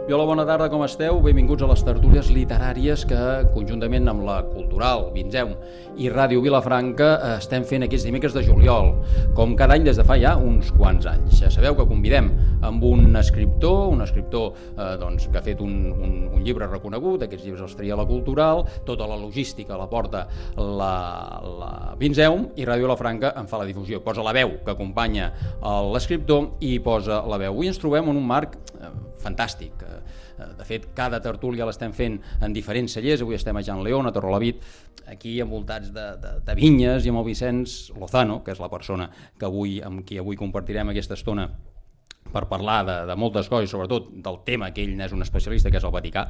I hola, bona tarda, com esteu? Benvinguts a les tertúlies literàries que, conjuntament amb la Cultural, Vinzeum i Ràdio Vilafranca, estem fent aquests dimecres de juliol, com cada any des de fa ja uns quants anys. Ja sabeu que convidem amb un escriptor que ha fet un llibre reconegut, aquests llibres els tria la Cultural, tota la logística la porta la Vinzeum i Ràdio Vilafranca en fa la difusió. Posa la veu que acompanya l'escriptor i posa la veu. Avui ens trobem en un marc fantàstic. De fet, cada tertúlia l'estem fent en diferents cellers. Avui estem a Jan León, a Torrelavit, aquí envoltats de vinyes, i amb el Vicenç Lozano, que és la persona amb qui avui compartirem aquesta estona per parlar de moltes coses, sobretot del tema que ell n'és un especialista, que és el Vaticà.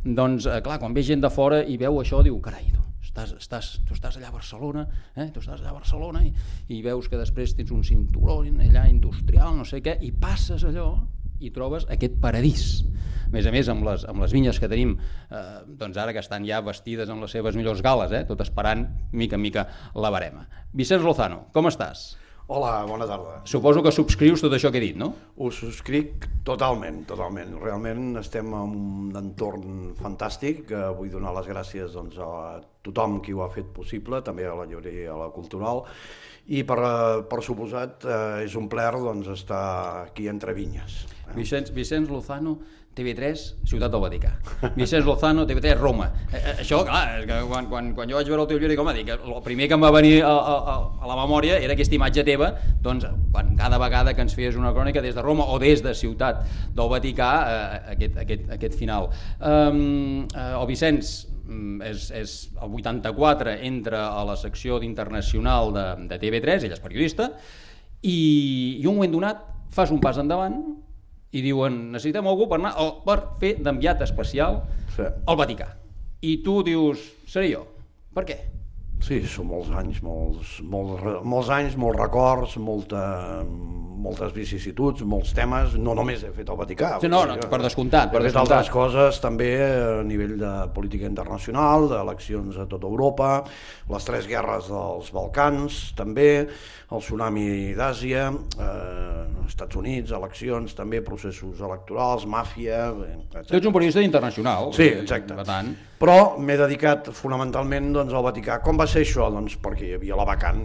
Doncs, clar, quan ve gent de fora i veu això, diu, carai, tu estàs allà a Barcelona, i veus que després tens un cinturó allà industrial, no sé què, i passes allò i trobes aquest paradís. A més, amb les vinyes que tenim, doncs ara que estan ja vestides amb les seves millors gales, tot esperant mica en mica la verema. Vicenç Lozano, com estàs? Hola, bona tarda. Suposo que subscrius tot això que he dit, no? Ho subscric totalment. Realment estem en un entorn fantàstic. Vull donar les gràcies a tothom qui ho ha fet possible, també a la llibreria, a la Cultural, i per suposat és un plaer estar aquí entre vinyes. Vicenç Lozano, TV3, Ciutat del Vaticà. Vicenç Lozano, TV3, Roma. Això, clar, és que quan jo vaig veure el teu llibre, el primer que em va venir a la memòria era aquesta imatge teva, doncs, cada vegada que ens feies una crònica des de Roma o des de Ciutat del Vaticà, aquest final. El Vicenç és el 84, entra a la secció d'internacional de TV3, ell és periodista, i un moment donat fas un pas endavant i diuen, necessitem algú per fer d'enviat especial al Vaticà. I tu dius, seré jo. Per què? Sí, són molts anys, molts records, moltes vicissituds, molts temes. No només he fet el Vaticà. Sí, no, per descomptat. He fet altres coses també a nivell de política internacional, d'eleccions a tota Europa, les 3 guerres dels Balcans també, el tsunami d'Àsia, Estats Units, eleccions també, processos electorals, màfia, etc. Tu ets un periodista internacional. Sí, exacte. Però m'he dedicat fonamentalment al Vaticà. Com va ser això? Perquè hi havia la vacant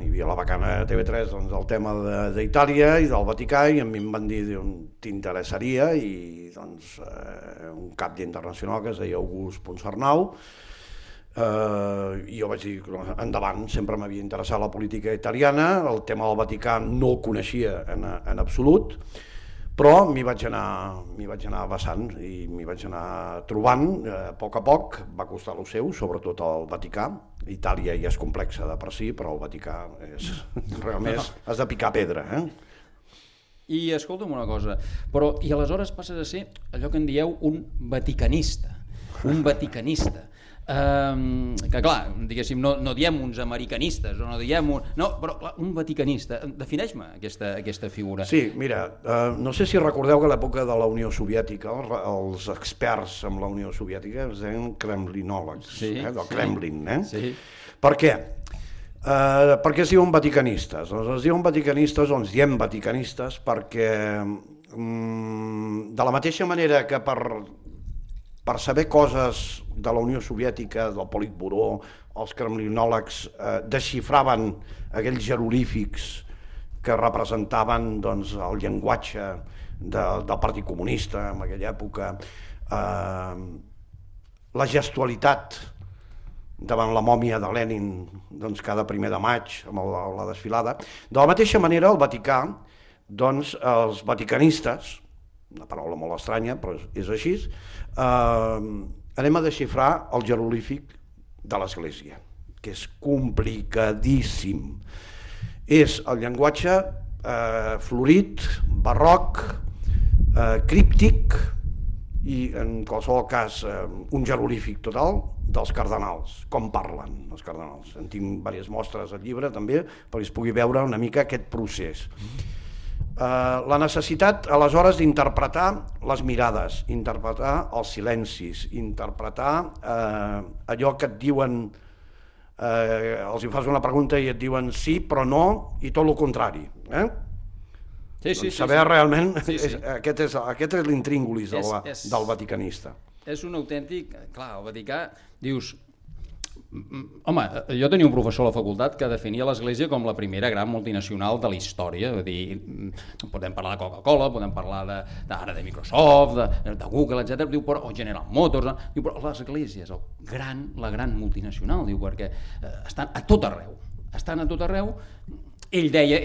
a TV3 el tema d'Itàlia i del Vaticà, i a mi em van dir, t'interessaria, i un cap internacional que es deia August Ponsarnau, i jo vaig dir, endavant, sempre m'havia interessat la política italiana, el tema del Vaticà no el coneixia en absolut, però m'hi vaig anar vessant i m'hi vaig anar trobant a poc, va costar el seu, sobretot el Vaticà. Itàlia ja és complexa de per si, però el Vaticà realment has de picar pedra. I escolta'm una cosa, i aleshores passes a ser allò que en dieu un vaticanista, que clar, diguéssim, no diem uns americanistes, o no diem però clar, un vaticanista. Defineix-me aquesta figura. Sí, mira, no sé si recordeu que a l'època de la Unió Soviètica els experts en la Unió Soviètica es deien kremlinòlegs, del Kremlin. Sí. Per què? Per què es diuen vaticanistes? Es diuen vaticanistes, o ens diem vaticanistes, perquè de la mateixa manera que per saber coses de la Unió Soviètica, del Politburó, els kremlinòlegs desxifraven aquells jeroglífics que representaven el llenguatge del Partit Comunista en aquella època, la gestualitat davant la mòmia de Lenin cada 1 de maig amb la desfilada. De la mateixa manera, el Vaticà, els vaticanistes, una paraula molt estranya, però és així, anem a desxifrar el jeroglífic de l'Església, que és complicadíssim. És el llenguatge florit, barroc, críptic i, en qualsevol cas, un jeroglífic total dels cardenals, com parlen els cardenals. En tinc diverses mostres al llibre també, perquè es pugui veure una mica aquest procés. La necessitat, aleshores, d'interpretar les mirades, interpretar els silencis, interpretar allò que et diuen, els hi fas una pregunta i et diuen sí, però no, i tot el contrari. Saber realment, aquest és l'intríngulis del vaticanista. És un autèntic... Clar, el Vaticà, dius... Home, jo tenia un professor a la facultat que definia l'Església com la primera gran multinacional de la història. Vull dir, podem parlar de Coca-Cola, podem parlar ara de Microsoft, de Google, etc. Diu, però, o General Motors. Diu, però l'Església és la gran multinacional, diu, perquè estan a tot arreu. Estan a tot arreu. Ell deia,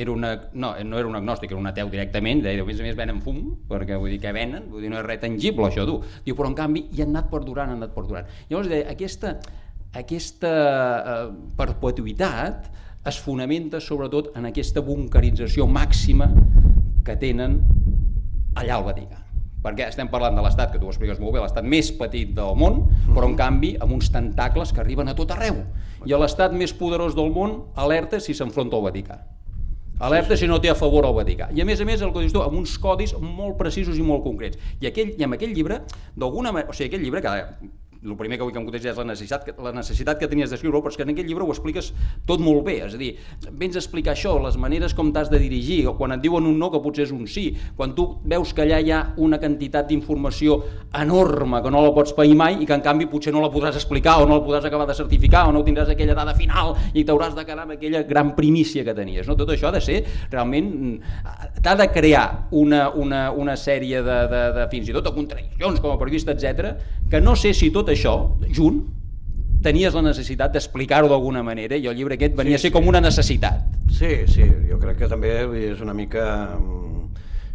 no era un agnòstic, era un ateu directament, deia, a més venen fum, perquè vull dir que venen, vull dir, no és res tangible això, tu. Diu, però en canvi hi han anat perdurant. Llavors deia, aquesta perpetuïtat es fonamenta sobretot en aquesta bunkerització màxima que tenen allà al Vaticà. Perquè estem parlant de l'estat, que tu ho expliques molt bé, l'estat més petit del món, però en canvi amb uns tentacles que arriben a tot arreu. I l'estat més poderós del món alerta si s'enfronta al Vaticà. Alerta si no té a favor al Vaticà. I a més, el que dius tu, amb uns codis molt precisos i molt concrets. I amb aquell llibre, d'alguna manera, o sigui, aquell llibre que el primer que vull que em contestis és la necessitat que tenies d'escriure-ho, però és que en aquest llibre ho expliques tot molt bé, és a dir, vens a explicar això, les maneres com t'has de dirigir, o quan et diuen un no que potser és un sí, quan tu veus que allà hi ha una quantitat d'informació enorme que no la pots pair mai i que en canvi potser no la podràs explicar o no la podràs acabar de certificar o no tindràs aquella dada final i t'hauràs de quedar amb aquella gran primícia que tenies. No? Tot això ha de ser realment... t'ha de crear una sèrie de fins i tot de contradiccions com a periodista, etc., que no sé si tot això, junt, tenies la necessitat d'explicar-ho d'alguna manera i el llibre aquest venia a ser com una necessitat. Sí, jo crec que també és una mica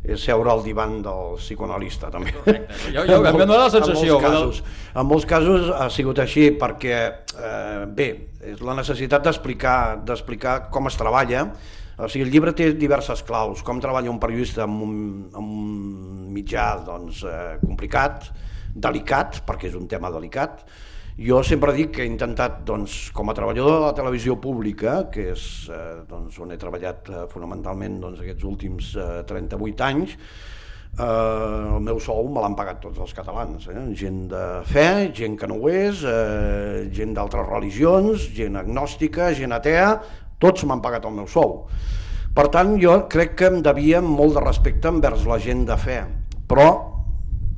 és seure al divan del psicoanalista també. Correcte, jo em dóna la sensació. En molts casos ha sigut així perquè, bé, és la necessitat d'explicar com es treballa. O sigui, el llibre té diverses claus, com treballa un periodista amb un mitjà complicat, delicat, perquè és un tema delicat. Jo sempre dic que he intentat, com a treballador de la televisió pública, que és on he treballat fonamentalment aquests últims 38 anys, el meu sou me l'han pagat tots els catalans, gent de fe, gent que no ho és, gent d'altres religions, gent agnòstica, gent atea, tots m'han pagat el meu sou. Per tant, jo crec que em devia molt de respecte envers la gent de fe, però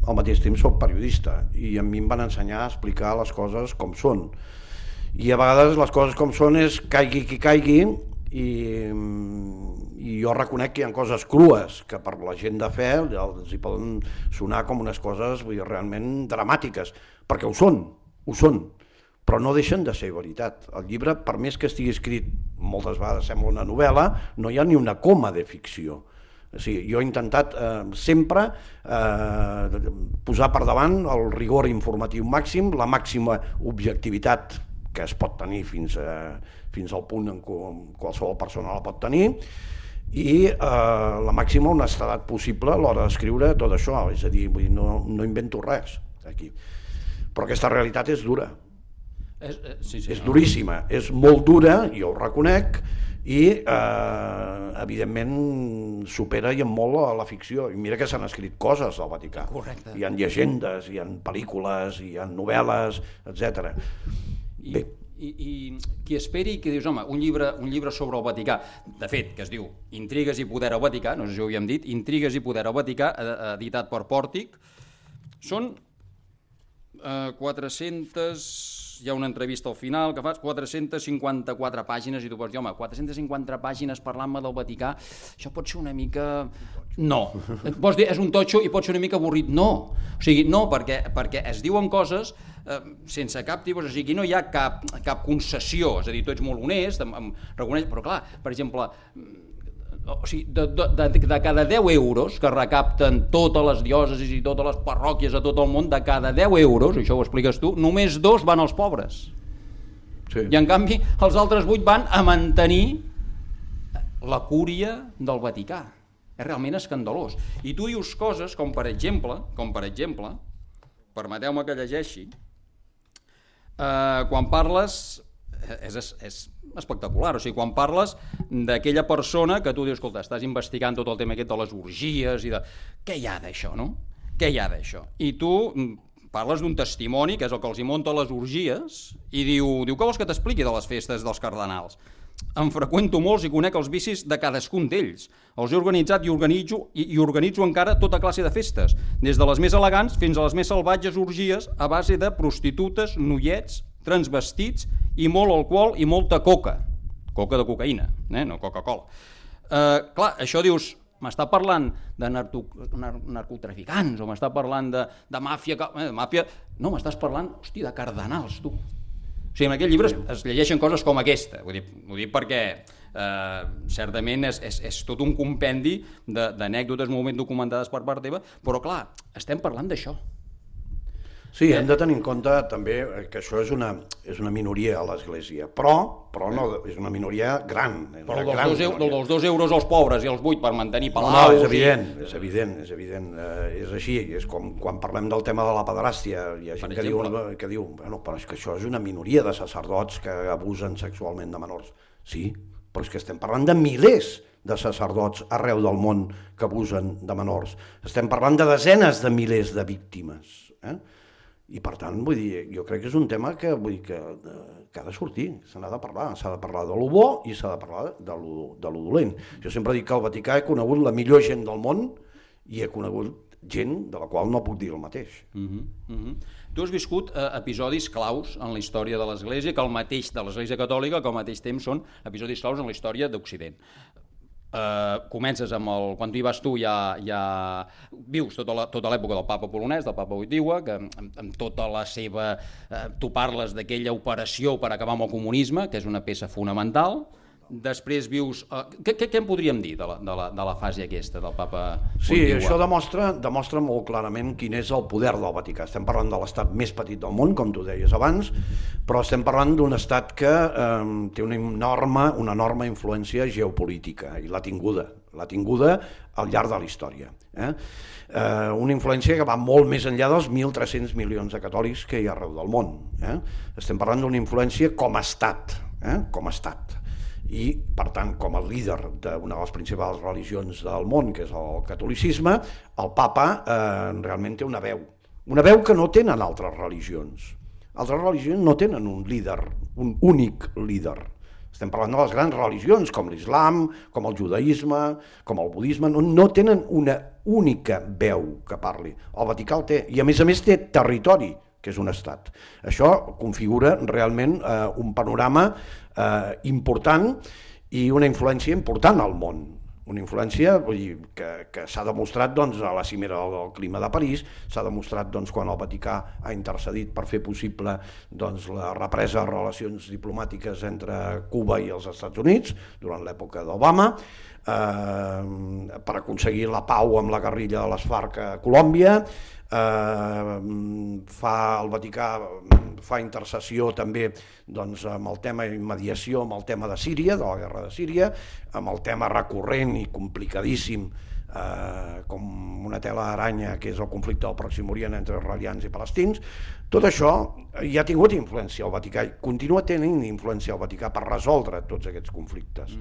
al mateix temps soc periodista i a mi em van ensenyar a explicar les coses com són. I a vegades les coses com són és caigui qui caigui i jo reconec que hi ha coses crues que per la gent de fe els hi poden sonar com unes coses realment dramàtiques, perquè ho són, però no deixen de ser veritat. El llibre, per més que estigui escrit, moltes vegades sembla una novel·la, no hi ha ni una coma de ficció. O sigui, jo he intentat sempre posar per davant el rigor informatiu màxim, la màxima objectivitat que es pot tenir fins al punt en què qualsevol persona la pot tenir i la màxima honestedat possible a l'hora d'escriure tot això, és a dir, no invento res aquí. Però aquesta realitat és dura, és duríssima, és molt dura, jo ho reconec, i evidentment supera i en molt a la ficció. I mira que s'han escrit coses al Vaticà. Correcte. Hi ha llegendes, hi ha pel·lícules, hi ha novel·les, etc. I qui esperi que dius, home, un llibre sobre el Vaticà, de fet, que es diu Intrigues i poder al Vaticà, no sé si ho havíem dit, Intrigues i poder al Vaticà, editat per Pòrtic, són 400... hi ha una entrevista al final que fas 454 pàgines i tu pots dir, home, 450 pàgines parlant-me del Vaticà, això pot ser una mica... No, pots dir, és un totxo i pot ser una mica avorrit, no. O sigui, no, perquè es diuen coses sense cap tipus, o sigui, no hi ha cap concessió, és a dir, tu ets molt honest, reconeix, però clar, per exemple... O sigui, de cada 10 euros que recapten totes les diòcesis i totes les parròquies a tot el món, de cada 10 euros, això ho expliques tu, només 2 van als pobres. Sí. I en canvi els altres 8 van a mantenir la cúria del Vaticà. És realment escandalós. I tu dius coses com per exemple, permeteu-me que llegeixi, quan parles... És espectacular, o sigui, quan parles d'aquella persona que tu dius, escolta, estàs investigant tot el tema aquest de les orgies i de... Què hi ha d'això, no? Què hi ha d'això? I tu parles d'un testimoni, que és el que els hi munta les orgies, i diu què vols que t'expliqui de les festes dels cardenals? en freqüento molts i conec els vicis de cadascun d'ells. Els he organitzat i organitzo encara tota classe de festes, des de les més elegants fins a les més salvatges orgies a base de prostitutes, noiets, transvestits i molt alcohol i molta coca. Coca de cocaïna, no Coca-Cola. Clar, això dius, m'està parlant de narcotraficants o m'està parlant de màfia... No, m'estàs parlant, hòstia, de cardenals, tu. O sigui, en aquest llibre es llegeixen coses com aquesta. Ho dic perquè certament és tot un compendi d'anècdotes molt ben documentades per part teva, però clar, estem parlant d'això. Sí, hem de tenir en compte també que això és una minoria a l'Església, però no, és una minoria gran. Però dels 2 euros als pobres i els 8 per mantenir palaus... No, és evident. És així, és com quan parlem del tema de la pederàstia, hi ha gent que diu, bueno, però és que això és una minoria de sacerdots que abusen sexualment de menors. Sí, però és que estem parlant de milers de sacerdots arreu del món que abusen de menors. Estem parlant de desenes de milers de víctimes, i per tant, vull dir, jo crec que és un tema que ha de sortir, s'ha de parlar de lo bo i s'ha de parlar de lo dolent. Jo sempre dic que al Vaticà he conegut la millor gent del món i he conegut gent de la qual no puc dir el mateix. Tu has viscut episodis claus en la història de l'Església, que el mateix de l'Església Catòlica, que al mateix temps són episodis claus en la història d'Occident. Comences amb quan tu hi vas tu ja vius tota l'època del papa polonès, del papa Wojtyła, que amb tota la seva... tu parles d'aquella operació per acabar amb el comunisme, que és una peça fonamental. Després vius... Què en podríem dir de la fase aquesta del papa Wojtyła? Sí, això demostra molt clarament quin és el poder del Vaticà. Estem parlant de l'estat més petit del món, com tu deies abans, però estem parlant d'un estat que té una enorme influència geopolítica, i l'ha tinguda al llarg de la història. Una influència que va molt més enllà dels 1.300 milions de catòlics que hi ha arreu del món. Estem parlant d'una influència com a estat, i per tant com a líder d'una de les principals religions del món, que és el catolicisme, el papa realment té una veu que no tenen altres religions. Altres religions no tenen un líder, un únic líder. Estem parlant de les grans religions com l'islam, com el judaïsme, com el budisme, no tenen una única veu que parli. El Vaticà el té, i a més té territori, que és un estat. Això configura realment un panorama important i una influència important al món. Una influència que s'ha demostrat a la cimera del clima de París, s'ha demostrat quan el Vaticà ha intercedit per fer possible la represa de relacions diplomàtiques entre Cuba i els Estats Units durant l'època d'Obama, per aconseguir la pau amb la guerrilla de les FARC a Colòmbia. El Vaticà fa intercessió també amb el tema de mediació, amb el tema de Síria, de la guerra de Síria, amb el tema recurrent i complicadíssim com una tela d'aranya, que és el conflicte del Pròxim Orient entre israelians i palestins. Tot això ja ha tingut influència al Vaticà, i continua tenint influència al Vaticà per resoldre tots aquests conflictes,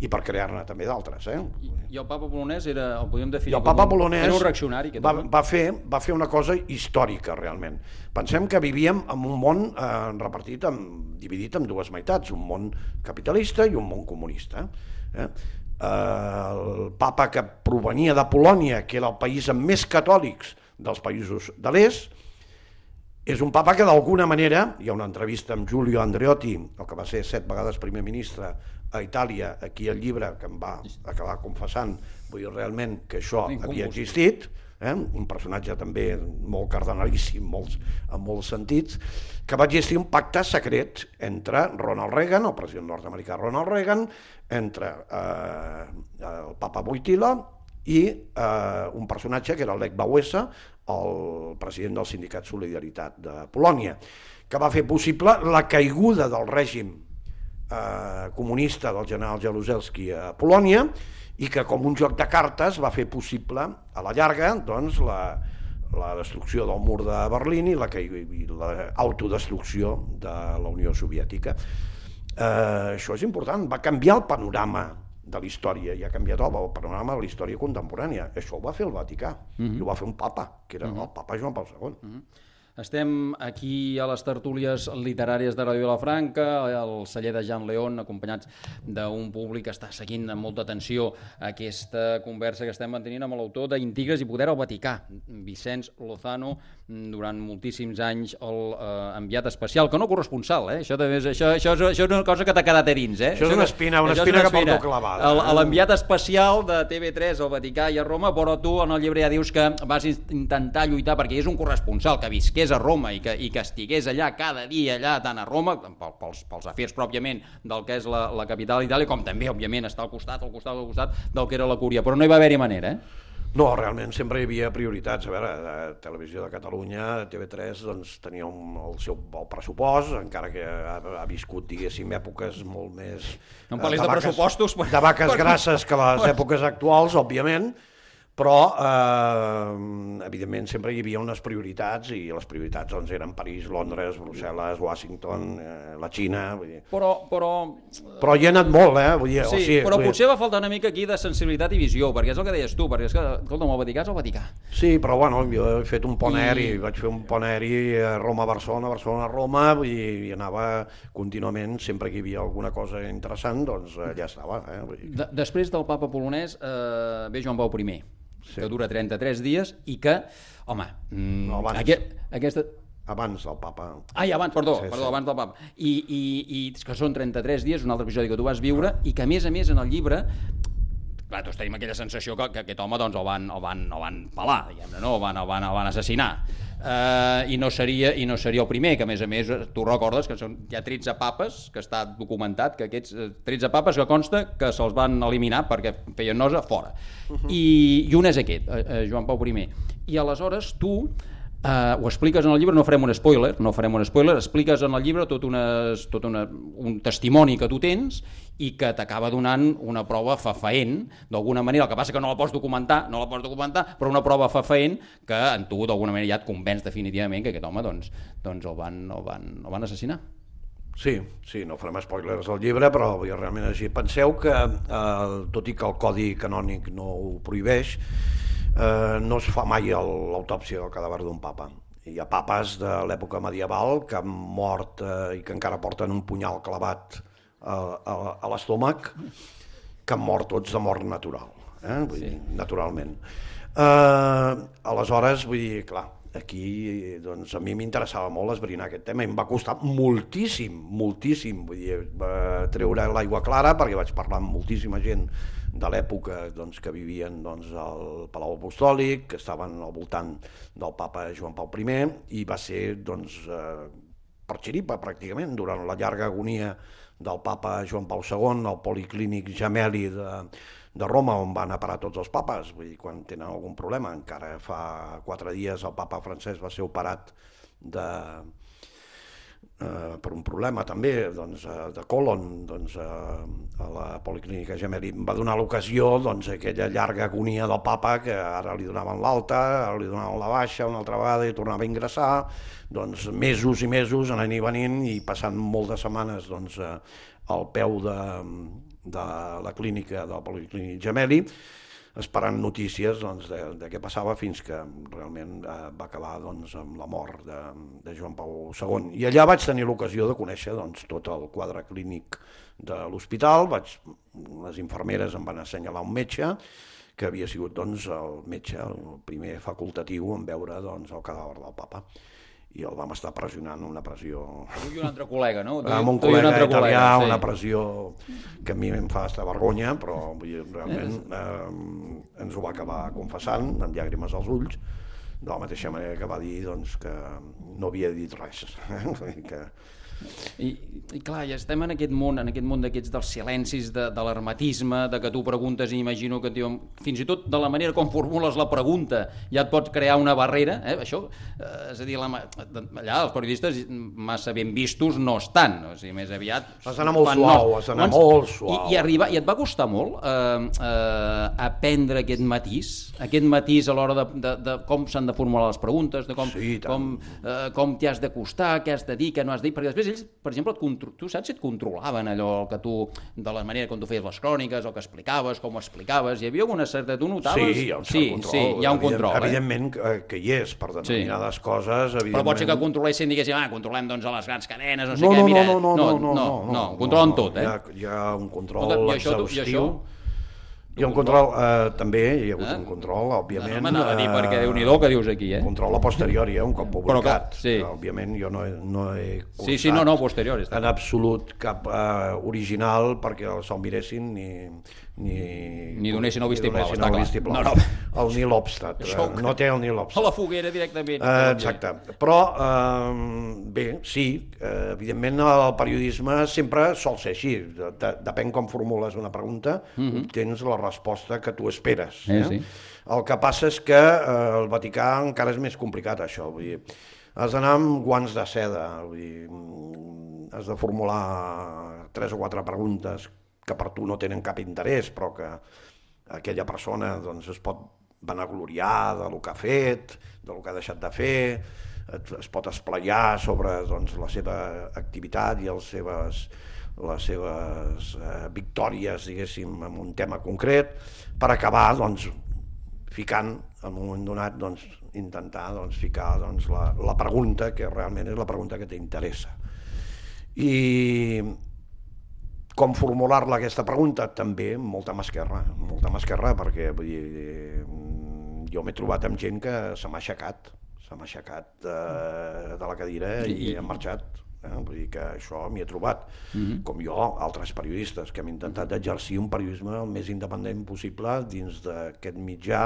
i per crear-ne també d'altres. I el papa polonès el podem definir era un reaccionari? Va fer una cosa històrica, realment. Pensem que vivíem en un món dividit en dues meitats, un món capitalista i un món comunista. El papa, que provenia de Polònia, que era el país amb més catòlics dels països de l'est, és un papa que d'alguna manera, hi ha una entrevista amb Giulio Andreotti, el que va ser 7 vegades primer ministre a Itàlia, aquí al llibre, que em va acabar confessant realment que això havia existit, un personatge també molt cardenalíssim en molts sentits, que va existir un pacte secret entre Ronald Reagan, el president nord-americà Ronald Reagan, entre el papa Wojtyła i un personatge que era Lech Wałęsa, el president del sindicat Solidaritat de Polònia, que va fer possible la caiguda del règim comunista del general Jaruzelski a Polònia, i que com un joc de cartes va fer possible a la llarga la destrucció del mur de Berlín i l'autodestrucció de la Unió Soviètica. Això és important, va canviar el panorama de la història, i ha canviat el panorama de la història contemporània. Això ho va fer el Vaticà, i ho va fer un papa, que era el papa Joan Paul II. Estem aquí a les tertúlies literàries de Ràdio Vilafranca, al celler de Jean León, acompanyats d'un públic que està seguint amb molta atenció aquesta conversa que estem mantenint amb l'autor d'Intigres i poder al Vaticà, Vicenç Lozano, durant moltíssims anys l'enviat especial, que no corresponsal, això és una cosa que t'ha quedat a dins. Això és una espina que porto clavada. L'enviat especial de TV3 al Vaticà i a Roma, però tu en el llibre ja dius que vas intentar lluitar perquè és un corresponsal que visqués a Roma i que estigués allà cada dia, allà tant a Roma, pels afers pròpiament del que és la capital d'Itàlia, com també, òbviament, està al costat del que era la Cúria, però no hi va haver-hi manera, No, realment sempre hi havia prioritats. A veure, Televisió de Catalunya, TV3, doncs tenia el pressupost, encara que ha viscut, diguéssim, èpoques molt més... No em parlis de pressupostos... De vaques grasses que les èpoques actuals, òbviament, però evidentment sempre hi havia unes prioritats i les prioritats doncs, eren París, Londres, Brussel·les, Washington, la Xina... Vull dir. Però hi ha anat molt, Vull dir, sí, però potser va faltar una mica aquí de sensibilitat i visió, perquè és el que deies tu, perquè és que, escolta'm, el Vaticà és el Vaticà. Sí, però bueno, jo he fet un pont aeri, vaig fer un pont aeri a Roma-Barcelona, Barcelona-Roma, i anava contínuament, sempre que hi havia alguna cosa interessant, doncs allà estava. Després del papa polonès ve Joan Pau I, que dura 33 dies i que, home, aquesta... Abans del papa. Abans del papa. I que són 33 dies, un altre episodi que tu vas viure, i que a més en el llibre, clar, tots tenim aquella sensació que aquest home doncs, el van pelar, diguem-ne, no? El van assassinar. I no seria el primer, que a més tu recordes que hi ha 13 papes, que està documentat que aquests 13 papes que consta que se'ls van eliminar perquè feien nosa fora. I un és aquest, Joan Pau I. I aleshores tu ho expliques en el llibre, no farem un spoiler, expliques en el llibre tot un testimoni que tu tens i que t'acaba donant una prova fefaent, d'alguna manera, el que passa que no la pots documentar, però una prova fefaent que en tu d'alguna manera ja et convenç definitivament que aquest home doncs el van assassinar. Sí, no farem spoilers al llibre, però realment així. Penseu que, tot i que el Codi Canònic no ho prohibeix, no es fa mai l'autòpsia del cadàver d'un papa. Hi ha papes de l'època medieval que han mort i que encara porten un punyal clavat a l'estómac, que han mort tots de mort natural, vull dir, naturalment. Aleshores, vull dir, clar, aquí doncs, a mi m'interessava molt esbrinar aquest tema i em va costar moltíssim, vull dir, treure l'aigua clara perquè vaig parlar amb moltíssima gent de l'època doncs, que vivien doncs, al Palau Apostòlic, que estaven al voltant del papa Joan Pau I, i va ser doncs, per xiripa pràcticament durant la llarga agonia del papa Joan Pau II al Policlínic Gemelli de Roma, on van a parar tots els papes, vull dir, quan tenen algun problema. Encara fa 4 dies el papa francès va ser operat per un problema també de colon a la Policlínica Gemelli. Em va donar l'ocasió aquella llarga agonia del papa, que ara li donaven l'alta, ara li donaven la baixa una altra vegada i tornava a ingressar, mesos i mesos anant i venint i passant moltes setmanes al peu de la clínica del Policlínic Gemelli, esperant notícies de què passava, fins que realment va acabar amb la mort de Joan Pau II. I allà vaig tenir l'ocasió de conèixer tot el quadre clínic de l'hospital. Les infermeres em van assenyalar un metge, que havia sigut el metge, el primer facultatiu en veure el cadàver del papa. I el vam estar pressionant, una pressió... Tu i un altre col·lega, no? Amb un col·lega italià, una pressió que a mi em fa estar vergonya, però realment ens ho va acabar confessant, amb llàgrimes als ulls, de la mateixa manera que va dir que no havia dit res. I clar, ja estem en aquest món d'aquests dels silencis, de l'hermetisme, de que tu preguntes i imagino que fins i tot de la manera com formules la pregunta ja et pots crear una barrera, això, és a dir, allà els periodistes massa ben vistos no estan, o sigui, més aviat... Has d'anar molt suau, I et va costar molt aprendre aquest matís a l'hora de com s'han de formular les preguntes, de com t'hi has d'acostar, què has de dir, què no has de dir, perquè després ells, per exemple, tu saps si et controlaven allò que tu, de la manera com tu feies les cròniques, el que explicaves, com ho explicaves, hi havia alguna certa... Tu notaves? Sí, hi ha un cert control. Sí, hi ha un control. Evidentment que hi és, per determinades coses, evidentment... Però pot ser que controlessin, diguéssim, controlem doncs a les grans cadenes, no sé què, mira... No, controlen tot, eh? Hi ha un control exhaustiu. Hi ha un control, també, hi ha hagut un control, òbviament. M'anava a dir, perquè Déu-n'hi-do que dius aquí, eh? Control a posteriori, un cop publicat. Sí. Òbviament jo no he cursat sí, posteriori. En absolut cap original perquè se'l miressin ni donessin el vistiplau, està clar. No. El Neil Obstadt, no té el Neil Obstadt. A la foguera directament. Exacte, però bé, sí, evidentment el periodisme sempre sol ser així, depèn com formules una pregunta, obtens la resposta que tu esperes. Sí. El que passa és que el Vaticà encara és més complicat això, vull dir, has d'anar amb guants de seda, vull dir, has de formular 3 o 4 preguntes que per tu no tenen cap interès, però que aquella persona doncs, es pot vanagloriar del que ha fet, del que ha deixat de fer, es pot esplaiar sobre doncs, la seva activitat i les seves victòries, diguéssim, en un tema concret, per acabar doncs, ficant, en un moment donat, doncs, intentar doncs, ficar doncs, la pregunta que realment és la pregunta que t'interessa. I com formular-la aquesta pregunta? També molta mà esquerra, perquè vull dir, jo m'he trobat amb gent que se m'ha aixecat de la cadira i ha marxat. Vull dir que això m'hi he trobat. Com jo, altres periodistes que hem intentat exercir un periodisme el més independent possible dins d'aquest mitjà,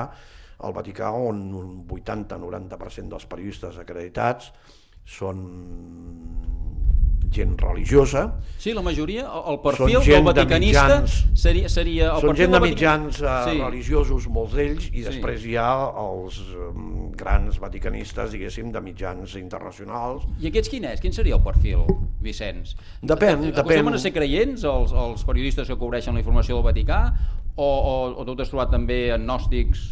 al Vaticà, on un 80-90% dels periodistes acreditats són gent religiosa. Sí, la majoria, el perfil del vaticanista seria... Són gent de mitjans religiosos, molts d'ells, i després hi ha els grans vaticanistes, diguéssim, de mitjans internacionals. I aquests quin és? Quin seria el perfil, Vicenç? Depèn. Acostumen a ser creients, els periodistes que cobreixen la informació del Vaticà, o tu t'has trobat també agnòstics?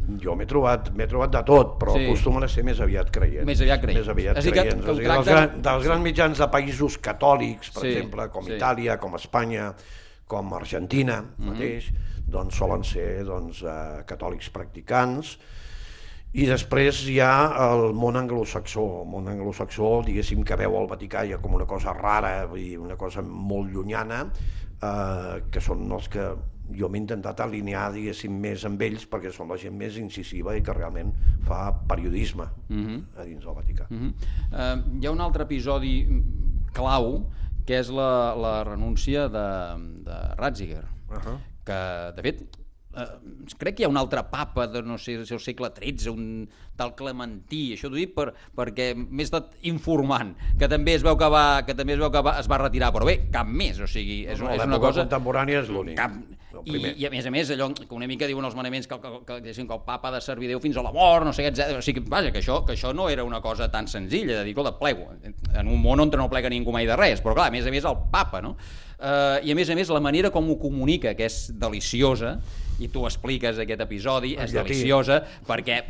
Jo m'he trobat de tot, però acostumen a ser més aviat creients. Més aviat creients. Dels grans mitjans de països catòlics, per exemple, com Itàlia, com Espanya, com Argentina mateix, doncs solen ser catòlics practicants. I després hi ha el món anglosaxó. El món anglosaxó, diguéssim, que veu el Vaticà ja com una cosa rara, una cosa molt llunyana, que són els que jo m'he intentat alinear, diguéssim, més amb ells perquè són la gent més incisiva i que realment fa periodisme a dins del Vaticà. Hi ha un altre episodi clau que és la renúncia de Ratzinger, que de fet crec que hi ha un altre papa de no sé si el segle XIII, un tal Clementí, això t'ho dic perquè m'he estat informant, que també es veu que es va retirar, però bé, cap més, o sigui, és una cosa contemporània, és l'únic. I a més, allò que una mica diuen els manaments que el papa ha de servir Déu fins a la mort, no sé què, etc. O sigui, vaja, que això no era una cosa tan senzilla, de dir, escolta, plego, en un món on no plega ningú mai de res, però clar, a més el papa, no? I a més la manera com ho comunica, que és deliciosa, i tu expliques aquest episodi, és deliciosa perquè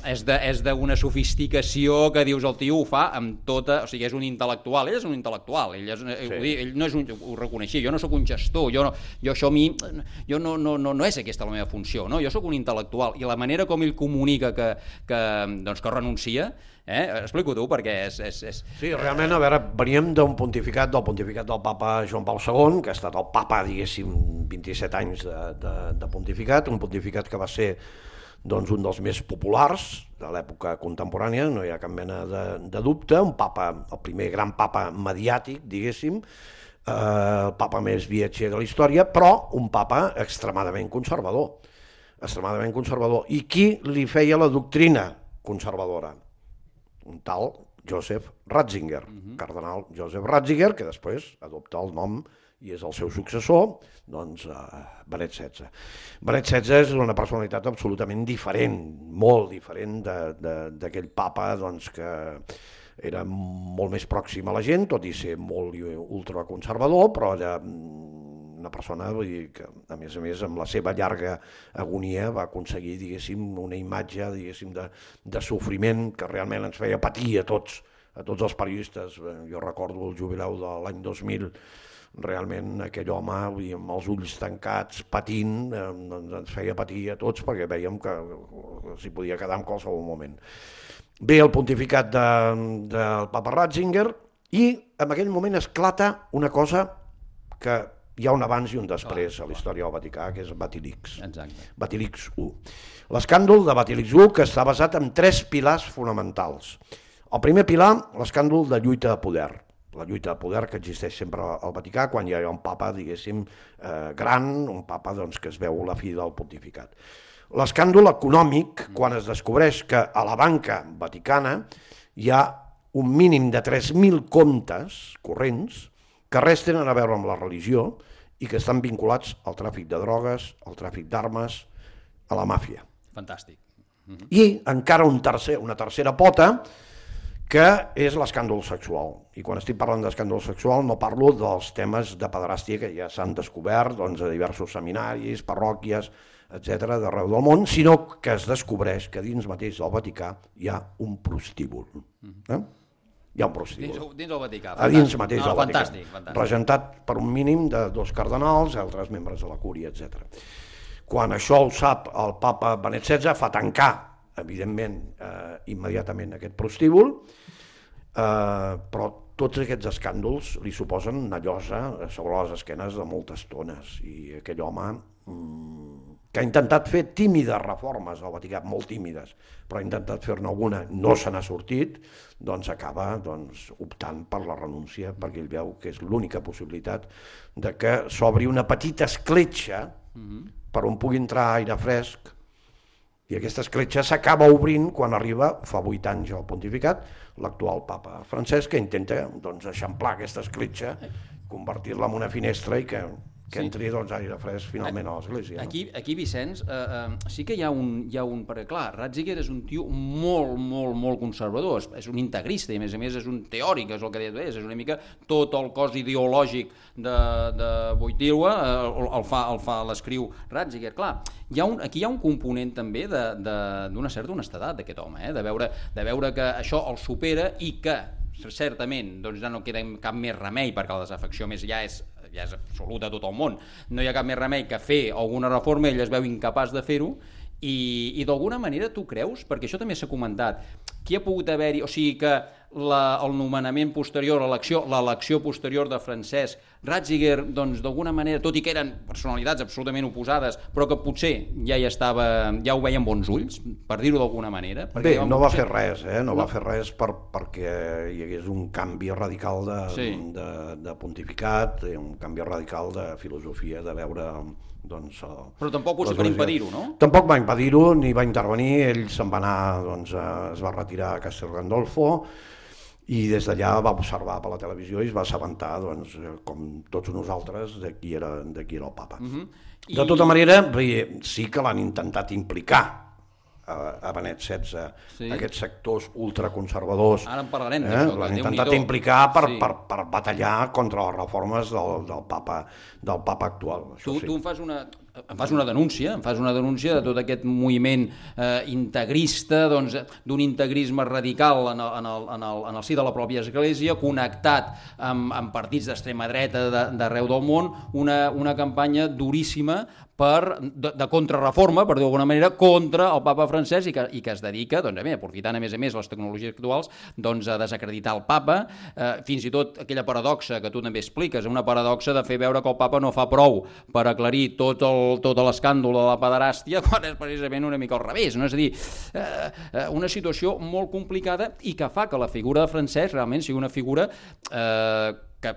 és d'una sofisticació que dius el tio ho fa amb tota, o sigui, és un intel·lectual, ell és un intel·lectual, ell no és ho reconeixia, jo no sóc un gestor, no és aquesta la meva funció, no? Jo sóc un intel·lectual, i la manera com ell comunica que renuncia, explico tu, perquè és... Sí, realment, a veure, veníem del pontificat del papa Joan Pau II, que ha estat el papa, diguéssim, 27 anys de pontificat, un pontificat que va ser doncs, un dels més populars de l'època contemporània, no hi ha cap mena de dubte, un papa, el primer gran papa mediàtic, diguéssim, el papa més viatger de la història, però un papa extremadament conservador. I qui li feia la doctrina conservadora? Un tal Joseph Ratzinger, cardenal Joseph Ratzinger, que després adopta el nom i és el seu successor, doncs Benet XVI. Benet XVI és una personalitat absolutament diferent, molt diferent d'aquell papa doncs, que era molt més pròxim a la gent, tot i ser molt ultraconservador, però era una persona, vull dir, que a més amb la seva llarga agonia va aconseguir, diguéssim, una imatge, diguéssim, de sofriment que realment ens feia patir a tots a tots els periodistes. Jo recordo el jubileu de l'any 2000, realment aquell home, amb els ulls tancats, patint, ens feia patir a tots perquè vèiem que s'hi podia quedar en qualsevol moment. Ve el pontificat del papa Ratzinger i en aquell moment esclata una cosa que hi ha un abans i un després a la història del Vaticà, que és Vatilix. Exacte. Vatilix I. L'escàndol de Vatilix I, que està basat en 3 pilars fonamentals. El primer pilar, l'escàndol de lluita de poder. La lluita de poder que existeix sempre al Vaticà quan hi ha un papa, diguéssim, gran, un papa doncs, que es veu la fi del pontificat. L'escàndol econòmic, quan es descobreix que a la banca vaticana hi ha un mínim de 3.000 comptes corrents que res tenen a veure amb la religió i que estan vinculats al tràfic de drogues, al tràfic d'armes, a la màfia. Fantàstic. I encara una tercera pota, que és l'escàndol sexual. I quan estic parlant d'escàndol sexual no parlo dels temes de pederàstia que ja s'han descobert doncs, a diversos seminaris, parròquies, etc. d'arreu del món, sinó que es descobreix que dins mateix del Vaticà hi ha un prostíbul. Hi ha un prostíbul. Dins del Vaticà. A dins mateix del Vaticà. Fantàstic. Regentat per un mínim de 2 cardenals, altres membres de la cúria, etc. Quan això ho sap el papa Benet XVI, fa tancar evidentment, immediatament aquest prostíbul, però tots aquests escàndols li suposen una llosa sobre les esquenes de moltes tones, i aquell home que ha intentat fer tímides reformes al Vaticà, molt tímides, però ha intentat fer-ne alguna, no se n'ha sortit, doncs acaba optant per la renúncia, perquè ell veu que és l'única possibilitat de que s'obri una petita escletxa per on pugui entrar aire fresc. I aquesta escletxa s'acaba obrint quan arriba, fa 8 anys al pontificat, l'actual papa Francesc, que intenta eixamplar aquesta escletxa, convertir-la en una finestra i que entri aire fresc finalment a l'església. Aquí, Vicenç, sí que hi ha un... Perquè, clar, Ratzinger és un tio molt conservador, és un integrista i, a més és un teòric, és el que deies, és una mica tot el cos ideològic de Wojtyła l'escriu Ratzinger. Clar, aquí hi ha un component també d'una certa honestedat d'aquest home, de veure que això el supera i que certament ja no queda cap més remei, perquè la desafecció més ja és absoluta a tot el món, no hi ha cap més remei que fer alguna reforma, ell es veu incapaç de fer-ho, i d'alguna manera tu creus, perquè això també s'ha comentat, qui ha pogut haver-hi, o sigui que el nomenament posterior, l'elecció posterior de Francesc, Ratzinger, d'alguna manera, tot i que eren personalitats absolutament oposades, però que potser ja ho veien bons ulls, per dir-ho d'alguna manera. Bé, no va fer res, no va fer res perquè hi hagués un canvi radical de pontificat, un canvi radical de filosofia, de veure... Però tampoc potser per impedir-ho, no? Tampoc va impedir-ho, ni va intervenir, ell se'n va anar, es va retirar a Castel Gandolfo i des d'allà va observar per la televisió i es va assabentar, com tots nosaltres, de qui era el papa. De tota manera, sí que l'han intentat implicar a Benet XVI, aquests sectors ultraconservadors. Ara en parlarem d'això. L'han intentat implicar per batallar contra les reformes del papa actual. Tu em fas una denúncia de tot aquest moviment integrista, d'un integrisme radical en el si de la pròpia Església, connectat amb partits d'extrema dreta d'arreu del món, una campanya duríssima de contrarreforma, per dir-ho d'alguna manera, contra el papa Francesc i que es dedica, aprofitant a més les tecnologies actuals, a desacreditar el papa, fins i tot aquella paradoxa que tu també expliques, una paradoxa de fer veure que el papa no fa prou per aclarir tot l'escàndol de la pederàstia, quan és precisament una mica al revés, no? És a dir, una situació molt complicada i que fa que la figura de Francesc realment sigui una figura que,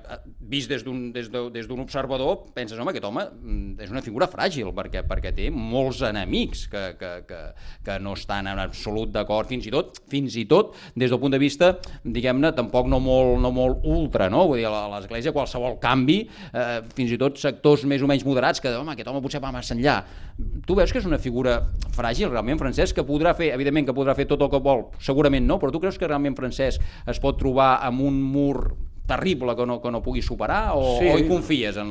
vist des d'un observador, penses, home, aquest home és una figura fràgil, perquè té molts enemics que no estan en absolut d'acord, fins i tot des del punt de vista, diguem-ne, tampoc no molt ultra, no? Vull dir, a l'Església qualsevol canvi, fins i tot sectors més o menys moderats, que, home, aquest home potser va massa enllà. Tu veus que és una figura fràgil, realment, Francesc, que podrà fer, evidentment que podrà fer tot el que vol, segurament no, però tu creus que realment Francesc es pot trobar amb un mur terrible que no pugui superar, o hi confies en...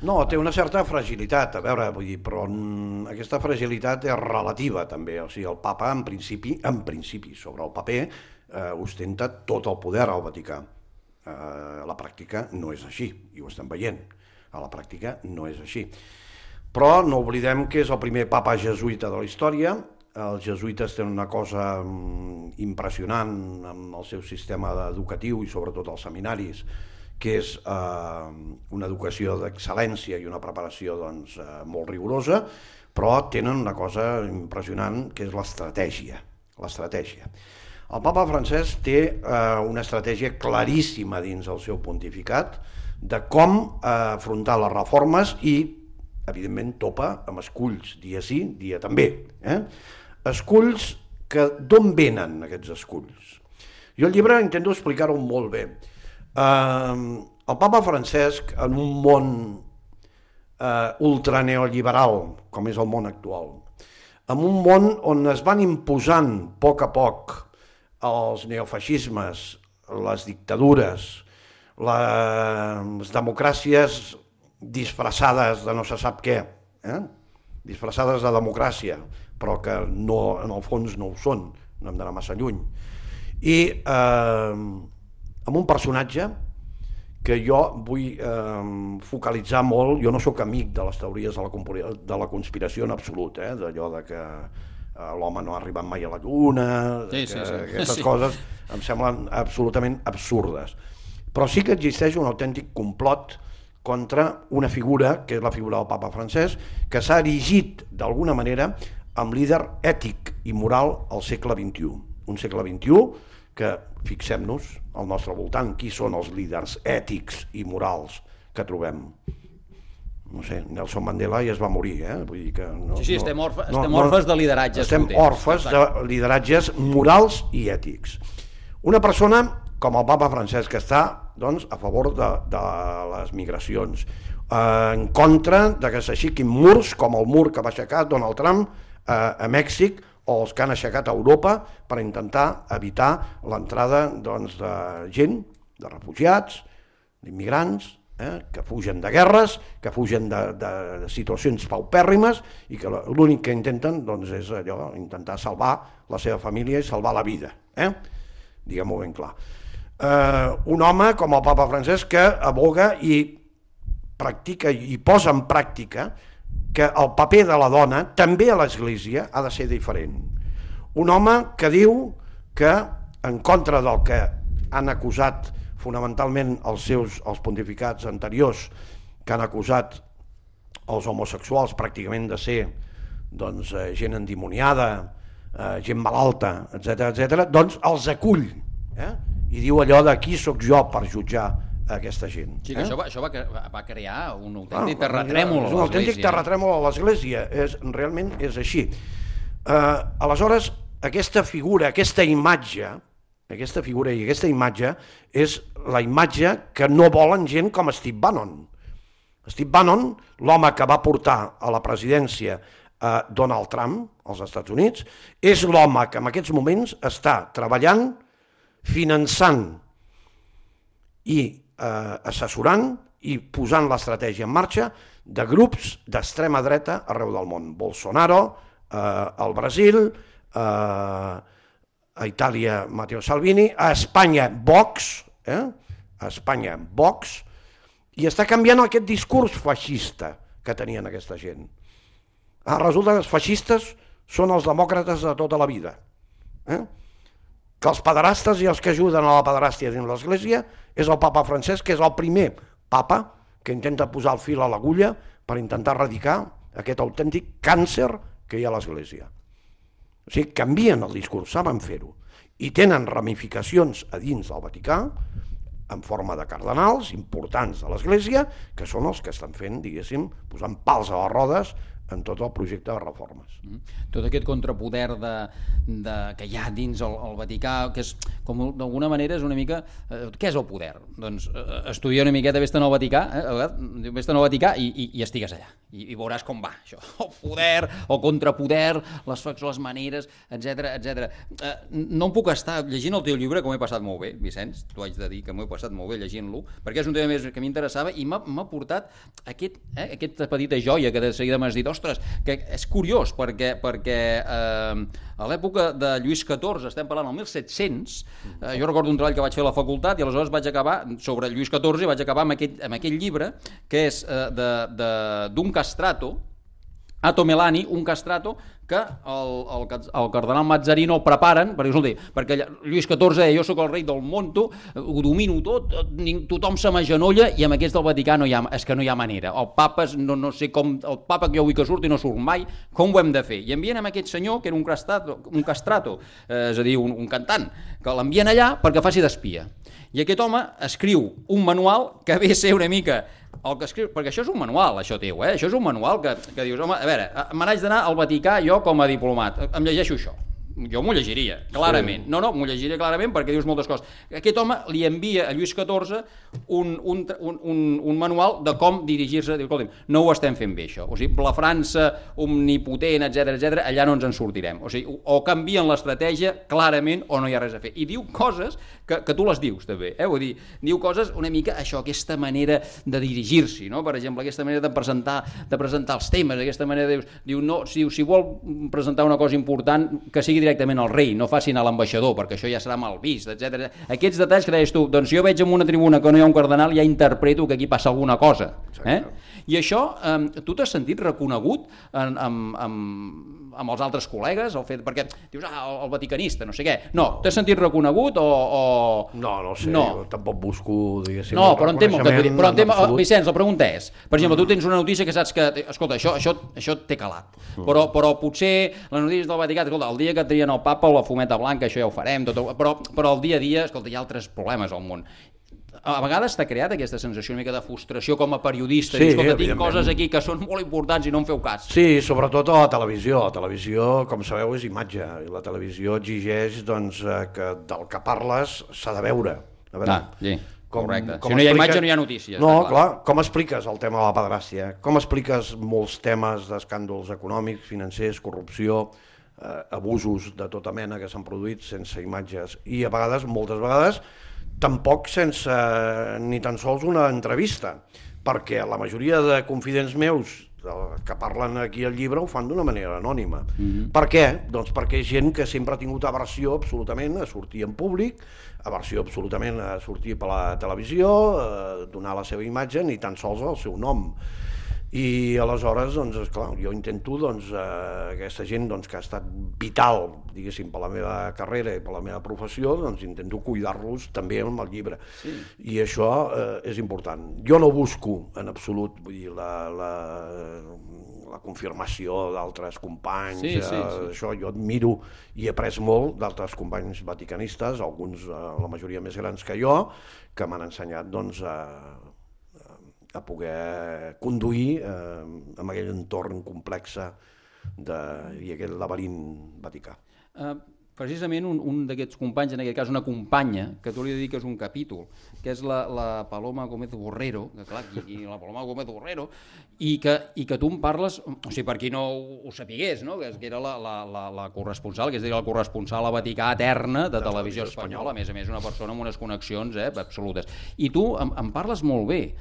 No, té una certa fragilitat, a veure, vull dir, però aquesta fragilitat és relativa també, o sigui, el papa en principi sobre el paper ostenta tot el poder al Vaticà. A la pràctica no és així, i ho estem veient. A la pràctica no és així. Però no oblidem que és el primer papa jesuïta de la història. Els jesuïtes tenen una cosa impressionant amb el seu sistema educatiu i sobretot els seminaris, que és una educació d'excel·lència i una preparació molt rigorosa, però tenen una cosa impressionant que és l'estratègia. El papa Francesc té una estratègia claríssima dins el seu pontificat de com afrontar les reformes i, evidentment, topa amb esculls, dia sí, dia també. Esculls que d'on venen aquests esculls? Jo al llibre intento explicar-ho molt bé. El papa Francesc, en un món ultraneoliberal, com és el món actual, en un món on es van imposant a poc els neofeixismes, les dictadures, les democràcies disfressades de no se sap què, disfressades de democràcia, però que no, en el fons no ho són, no hem d'anar massa lluny. I amb un personatge que jo vull focalitzar molt. Jo no sóc amic de les teories de la conspiració en absolut, d'allò de que l'home no ha arribat mai a la lluna, aquestes coses em semblen absolutament absurdes. Però sí que existeix un autèntic complot contra una figura, que és la figura del papa Francesc, que s'ha erigit d'alguna manera amb líder ètic i moral al segle XXI. Un segle XXI que, fixem-nos al nostre voltant, qui són els líders ètics i morals que trobem? No sé, Nelson Mandela ja es va morir, vull dir que... Sí, estem orfes de lideratges. Estem orfes de lideratges morals i ètics. Una persona com el papa Francesc, que està a favor de les migracions, en contra de que s'aixequin murs com el mur que va aixecar Donald Trump a Mèxic, o els que han aixecat a Europa per intentar evitar l'entrada de gent, de refugiats, d'immigrants, que fugen de guerres, que fugen de situacions paupèrrimes i que l'únic que intenten és allò, intentar salvar la seva família i salvar la vida. Diguem-ho ben clar. Un home com el papa Francesc que aboga i practica i posa en pràctica que el paper de la dona, també a l'Església, ha de ser diferent. Un home que diu que, en contra del que han acusat fonamentalment els pontificats anteriors, que han acusat els homosexuals pràcticament de ser gent endimoniada, gent malalta, etc., doncs els acull i diu allò de qui sóc jo per jutjar aquesta gent. Sí, que això va crear un autèntic terratrèmol a l'Església. És un autèntic terratrèmol a l'Església, realment és així. Aleshores, aquesta figura, aquesta imatge és la imatge que no volen gent com Steve Bannon. Steve Bannon, l'home que va portar a la presidència Donald Trump als Estats Units, és l'home que en aquests moments està treballant, finançant i assessorant i posant l'estratègia en marxa de grups d'extrema dreta arreu del món. Bolsonaro, al Brasil, a Itàlia Matteo Salvini, a Espanya Vox, i està canviant aquest discurs feixista que tenien aquesta gent. Resulta que els feixistes són els demòcrates de tota la vida. Que els pederastes i els que ajuden a la pederàstia dins l'Església és el papa Francesc, que és el primer papa que intenta posar el fil a l'agulla per intentar erradicar aquest autèntic càncer que hi ha a l'Església. O sigui, canvien el discurs, saben fer-ho, i tenen ramificacions a dins del Vaticà en forma de cardenals importants de l'Església, que són els que estan fent, diguéssim, posant pals a les rodes en tot el projecte de reformes. Tot aquest contrapoder que hi ha dins el Vaticà, que és, com d'alguna manera és una mica... Què és el poder? Doncs estudia una miqueta, vés-te'n al Vaticà i estigues allà. I veuràs com va, això. El poder, el contrapoder, les maneres, etc. No em puc estar llegint el teu llibre, que m'ho he passat molt bé, Vicenç, t'ho haig de dir, que m'ho he passat molt bé llegint-lo, perquè és un tema més que m'interessava i m'ha portat aquesta petita joia que de seguida m'has dit, ostres, que és curiós, perquè a l'època de Lluís XIV, estem parlant del 1700, jo recordo un treball que vaig fer a la facultat i aleshores vaig acabar sobre Lluís XIV i vaig acabar amb aquell llibre que és d'un castrato, Atto Melani, un castrato que el cardenal Mazzarino el preparen, perquè Lluís XIV jo sóc el rei del monto, ho domino tot, tothom se m'agenolla i amb aquests del Vaticà és que no hi ha manera. El papa, no sé com, el papa que jo vull que surti no surt mai, com ho hem de fer? I envien amb aquest senyor, que era un castrato, és a dir, un cantant, que l'envien allà perquè faci d'espia. I aquest home escriu un manual que ve a ser una mica el que escriu, perquè això és un manual, això teu, això és un manual que dius, home, a veure, me n'haig d'anar al Vaticà jo com a diplomat, em llegeixo això. Jo m'ho llegiria, clarament. Sí. No, m'ho llegiria clarament perquè dius moltes coses. Aquest home li envia a Lluís XIV un manual de com dirigir-se. Diu, escolta'm, no ho estem fent bé, això. O sigui, la França omnipotent, etc, allà no ens en sortirem. O sigui, o canvien l'estratègia clarament o no hi ha res a fer. I diu coses que tu les dius, també. Vull dir, diu coses una mica, això, aquesta manera de dirigir-s'hi, no? Per exemple, aquesta manera de presentar els temes, aquesta manera diu, no, si vol presentar una cosa important, que sigui directament al rei, no facin a l'ambaixador, perquè això ja serà mal vist, etc. Aquests detalls que deies tu, doncs jo veig en una tribuna que no hi ha un cardenal i ja interpreto que aquí passa alguna cosa. I això, tu t'has sentit reconegut amb els altres col·legues, perquè dius, el vaticanista, no sé què. No, t'has sentit reconegut o... No sé, jo tampoc busco, diguéssim... No, però Vicenç, la pregunta és, per exemple, tu tens una notícia que saps que, escolta, això té calat, però potser les notícies del Vaticà, escolta, el dia que trien el papa o la fumeta blanca, això ja ho farem, però el dia a dia, escolta, hi ha altres problemes al món. A vegades t'ha creat aquesta sensació una mica de frustració com a periodista, sí, escolta, tinc coses aquí que són molt importants i no em feu cas. Sí, sobretot a la televisió. La televisió, com sabeu, és imatge, i la televisió exigeix que del que parles s'ha de veure. Sí. Correcte. Si no hi ha imatge no hi ha notícies. No, clar, com expliques el tema de la pederàstia? Com expliques molts temes d'escàndols econòmics, financers, corrupció, abusos de tota mena que s'han produït sense imatges? I a vegades, moltes vegades, tampoc sense ni tan sols una entrevista, perquè la majoria de confidents meus que parlen aquí al llibre ho fan d'una manera anònima. Per què? Doncs perquè és gent que sempre ha tingut aversió absolutament a sortir en públic, aversió absolutament a sortir per la televisió, a donar la seva imatge, ni tan sols el seu nom. I aleshores, doncs, esclar, jo intento, aquesta gent que ha estat vital, diguéssim, per la meva carrera i per la meva professió, doncs intento cuidar-los també amb el llibre. Sí. I això és important. Jo no busco, en absolut, vull dir, la confirmació d'altres companys, això jo admiro i he après molt d'altres companys vaticanistes, alguns, la majoria més grans que jo, que m'han ensenyat, doncs, a poder conduir amb aquell entorn complex i aquell laberint vaticà. Precisament un d'aquests companys, en aquest cas una companya, que tu li dediques un capítol, que és la Paloma Gómez Borrero, que clar, i la Paloma Gómez Borrero, i que tu em parles, o sigui, per qui no ho sapigués, no? Que era la corresponsal, que és la corresponsal a Vaticà eterna de Televisió Espanyola, a més una persona amb unes connexions absolutes. I tu em parles molt bé,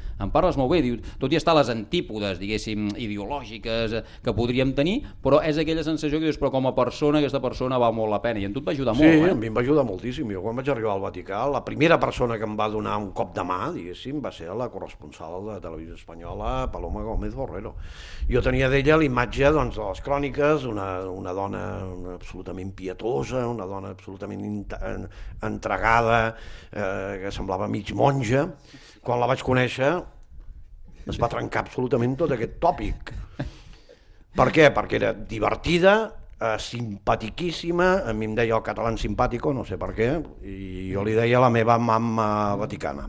diu, tot i estar a les antípodes, diguéssim, ideològiques que podríem tenir, però és aquella sensació que dius, però com a persona, aquesta persona val molt la pena. I en tu et va ajudar molt, Sí, a mi em va ajudar moltíssim. Jo quan vaig arribar al Vaticà, la primera persona que em va donar un cop de mà, diguéssim, va ser la corresponsal de Televisió Espanyola, Paloma Gómez Borrero. Jo tenia d'ella l'imatge de les cròniques, una dona absolutament pietosa, una dona absolutament entregada, que semblava mig monja. Quan la vaig conèixer es va trencar absolutament tot aquest tòpic. Per què? Perquè era divertida, simpatiquíssima, a mi em deia el català simpàtico, no sé per què, i jo li deia la meva mamma vaticana.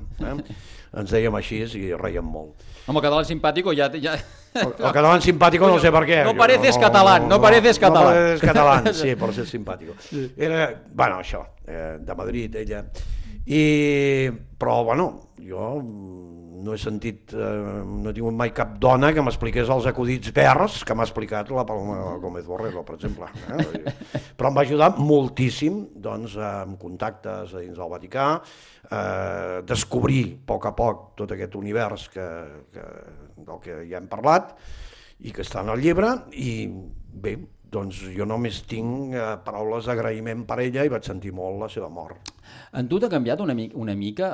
Ens dèiem així i reiem molt. Home, el català simpàtico ja... El català simpàtico no sé per què. No pareces catalán, no pareces catalán. No pareces catalán, sí, per ser simpàtico. Era, bueno, això, de Madrid, ella. Però, bueno, jo no he sentit, no he tingut mai cap dona que m'expliqués els acudits verds que m'ha explicat la Paloma Gómez Borrero, per exemple. Però em va ajudar moltíssim, doncs, amb contactes a dins del Vaticà, descobrir a poc tot aquest univers del que ja hem parlat, i que està en el llibre, i bé, doncs jo només tinc paraules d'agraïment per ella i vaig sentir molt la seva mort. En tu t'ha canviat una mica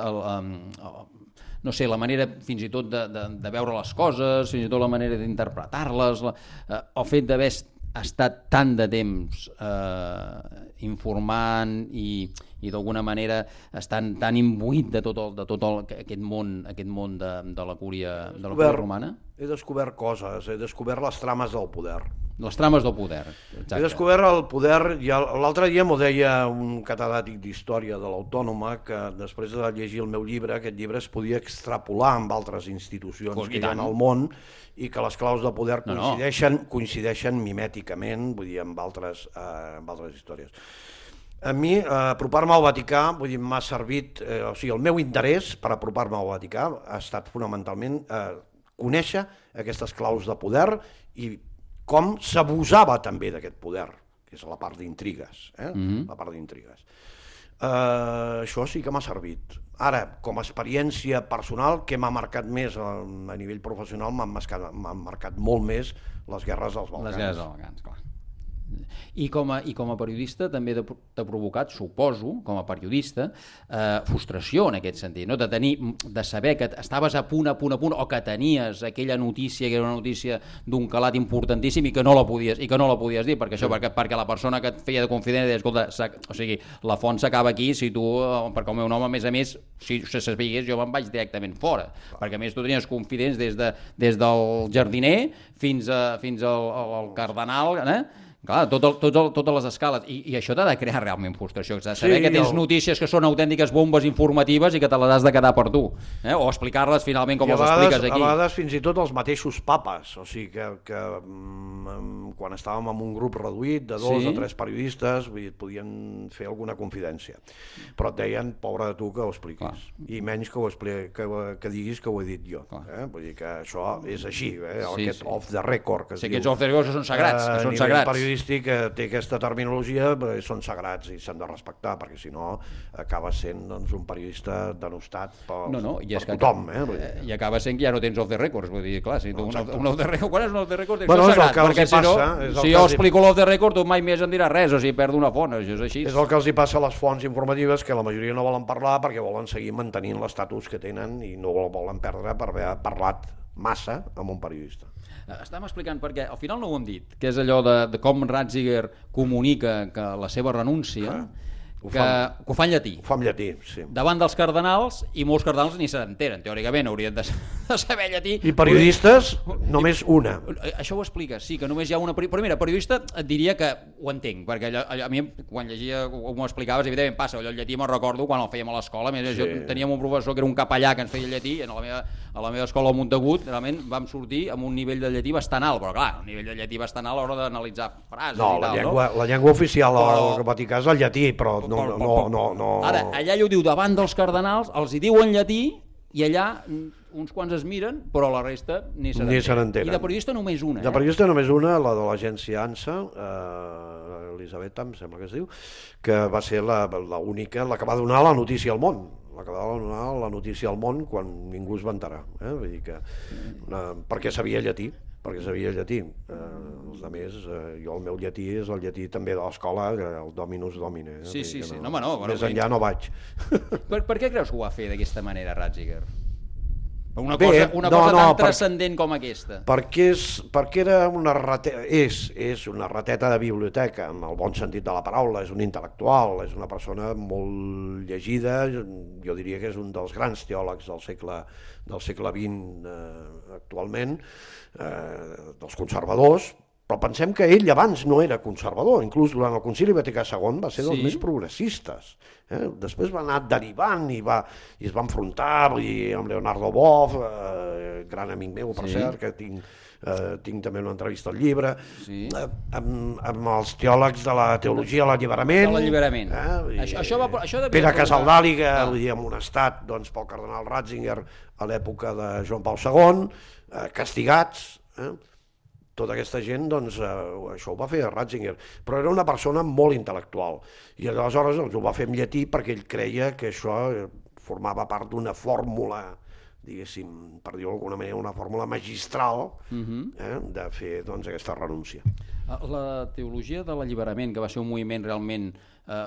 no sé, la manera fins i tot de veure les coses, fins i tot la manera d'interpretar-les, el fet d'haver estat tant de temps informant i d'alguna manera estant tan imbuït de tot aquest món de la cúria romana? He descobert coses, he descobert les trames del poder. Les trames del poder, exacte. He descobert el poder, i l'altre dia m'ho deia un catedràtic d'història de l'Autònoma, que després de llegir el meu llibre, aquest llibre es podia extrapolar amb altres institucions que hi ha al món, i que les claus de poder coincideixen mimèticament, vull dir, amb altres històries. A mi, apropar-me al Vaticà, vull dir, m'ha servit, o sigui, el meu interès per apropar-me al Vaticà ha estat fonamentalment conèixer aquestes claus de poder i com s'abusava també d'aquest poder, que és la part d'intrigues, la part d'intrigues. Això sí que m'ha servit. Ara, com a experiència personal, que m'ha marcat més a nivell professional, m'han marcat molt més les guerres dels Balcans. Les guerres dels Balcans, clar. I com a periodista també t'ha provocat, suposo, com a periodista, frustració en aquest sentit, no? De saber que estaves a punt, o que tenies aquella notícia, que era una notícia d'un calat importantíssim i que no la podies dir, perquè la persona que et feia de confident deia, escolta, o sigui, la font s'acaba aquí, si tu, perquè el meu nom, a més, si se sabés, jo me'n vaig directament fora, perquè a més tu tenies confidents des del jardiner fins al cardenal, clar, totes les escales, i això t'ha de crear realment frustració, saber que tens notícies que són autèntiques bombes informatives i que te les has de quedar per tu, o explicar-les finalment com les expliques aquí. A vegades fins i tot els mateixos papes, o sigui que quan estàvem en un grup reduït de 2 o 3 periodistes podien fer alguna confidència, però et deien, pobre de tu que ho expliquis, i menys que diguis que ho he dit jo, vull dir que això és així, aquest off the record que es diu. Aquests off the record són sagrats, que són sagrats. Que té aquesta terminologia, són sagrats i s'han de respectar, perquè si no acaba sent un periodista denostat per tothom. I acaba sent que ja no tens off the records, vull dir, clar, si tu un off the record, quan és un off the record? Bueno, és el que els hi passa. Si jo explico l'off the record, tu mai més em diràs res, o sigui, perdo una font, això és així. És el que els hi passa a les fonts informatives, que la majoria no volen parlar perquè volen seguir mantenint l'estatus que tenen i no el volen perdre per haver parlat massa amb un periodista. Estàvem explicant, perquè al final no ho hem dit, que és allò de com Ratzinger comunica que la seva renúncia, que ho fa en llatí. Ho fa en llatí, sí. Davant dels cardenals, i molts cardenals ni se n'enteren, teòricament haurien de saber llatí. I periodistes, només una. Això ho explica, sí, que només hi ha una... Però mira, periodista et diria que ho entenc, perquè a mi quan llegia, m'ho explicaves, evidentment passa, allò el llatí me'n recordo quan el fèiem a l'escola, teníem un professor que era un capellà que ens feia llatí, a la meva escola a Montagut, realment vam sortir amb un nivell de llatí bastant alt, però clar, un nivell de llatí bastant alt a l'hora d'analitzar frases i tal, no? La llengua oficial al Vaticà és el llatí, però no. Ara, allà ell ho diu davant dels cardenals, els hi diu en llatí i allà uns quants es miren, però la resta ni se n'entenen. I de periodista només una. De periodista només una, la de l'agència ANSA, Elisabetta, em sembla que es diu, que va ser l'única, la que va donar la notícia al món. La que va donar la notícia al món quan ningú es va enterar. Vull dir que, perquè sabia llatí. Els altres, jo el meu llatí és el llatí també de l'escola, el Dominus Domine. Sí. Més enllà no vaig. Per què creus que ho va fer d'aquesta manera, Ratzinger? Una cosa tan transcendent com aquesta. Perquè era és una rateta de biblioteca, en el bon sentit de la paraula, és un intel·lectual, és una persona molt llegida, jo diria que és un dels grans teòlegs del segle XX actualment, dels conservadors, però pensem que ell abans no era conservador, inclús durant el Concili Vaticà II va ser dels més progressistes. Després va anar derivant i es va enfrontar amb Leonardo Boff, gran amic meu, per cert, que tinc també una entrevista al llibre, amb els teòlegs de la teologia de l'alliberament. Pere Casaldàliga, amonestat pel cardenal Ratzinger a l'època de Joan Pau II, castigats. Tota aquesta gent, això ho va fer Ratzinger, però era una persona molt intel·lectual i aleshores ho va fer en llatí perquè ell creia que això formava part d'una fórmula diguéssim, per dir-ho d'alguna manera, una fórmula magistral de fer aquesta renúncia. La teologia de l'alliberament, que va ser un moviment realment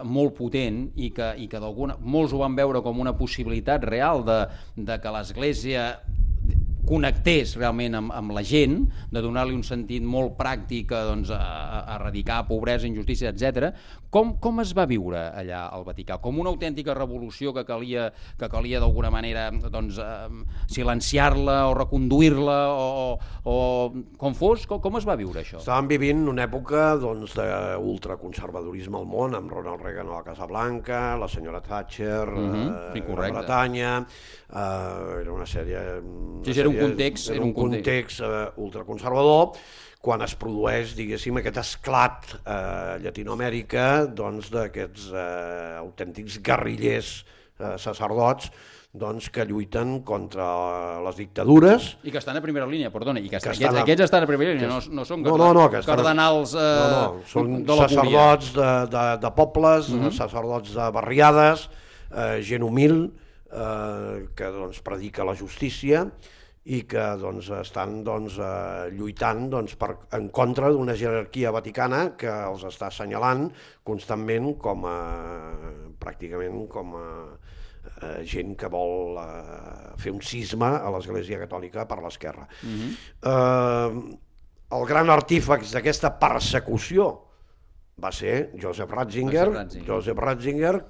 molt potent i que molts ho van veure com una possibilitat real de que l'Església connectés realment amb la gent, de donar-li un sentit molt pràctic a erradicar pobresa, injustícia, etc. Com es va viure allà al Vaticà? Com una autèntica revolució que calia d'alguna manera silenciar-la o reconduir-la o com fos? Com es va viure això? Estàvem vivint una època d'ultraconservadorisme al món, amb Ronald Reagan a la Casa Blanca, la senyora Thatcher a Bretanya, era una sèrie... Era un context ultraconservador, quan es produeix, diguéssim, aquest esclat a Llatinoamèrica d'aquests autèntics guerrillers sacerdots que lluiten contra les dictadures. I que estan a primera línia, perdona, i que aquests estan a primera línia, no són cardenals de la cúria. Són sacerdots de pobles, sacerdots de barriades, gent humil, que predica la justícia i que estan lluitant en contra d'una jerarquia vaticana que els està assenyalant constantment pràcticament com a gent que vol fer un cisma a l'Església Catòlica per l'esquerra. El gran artífex d'aquesta persecució va ser Joseph Ratzinger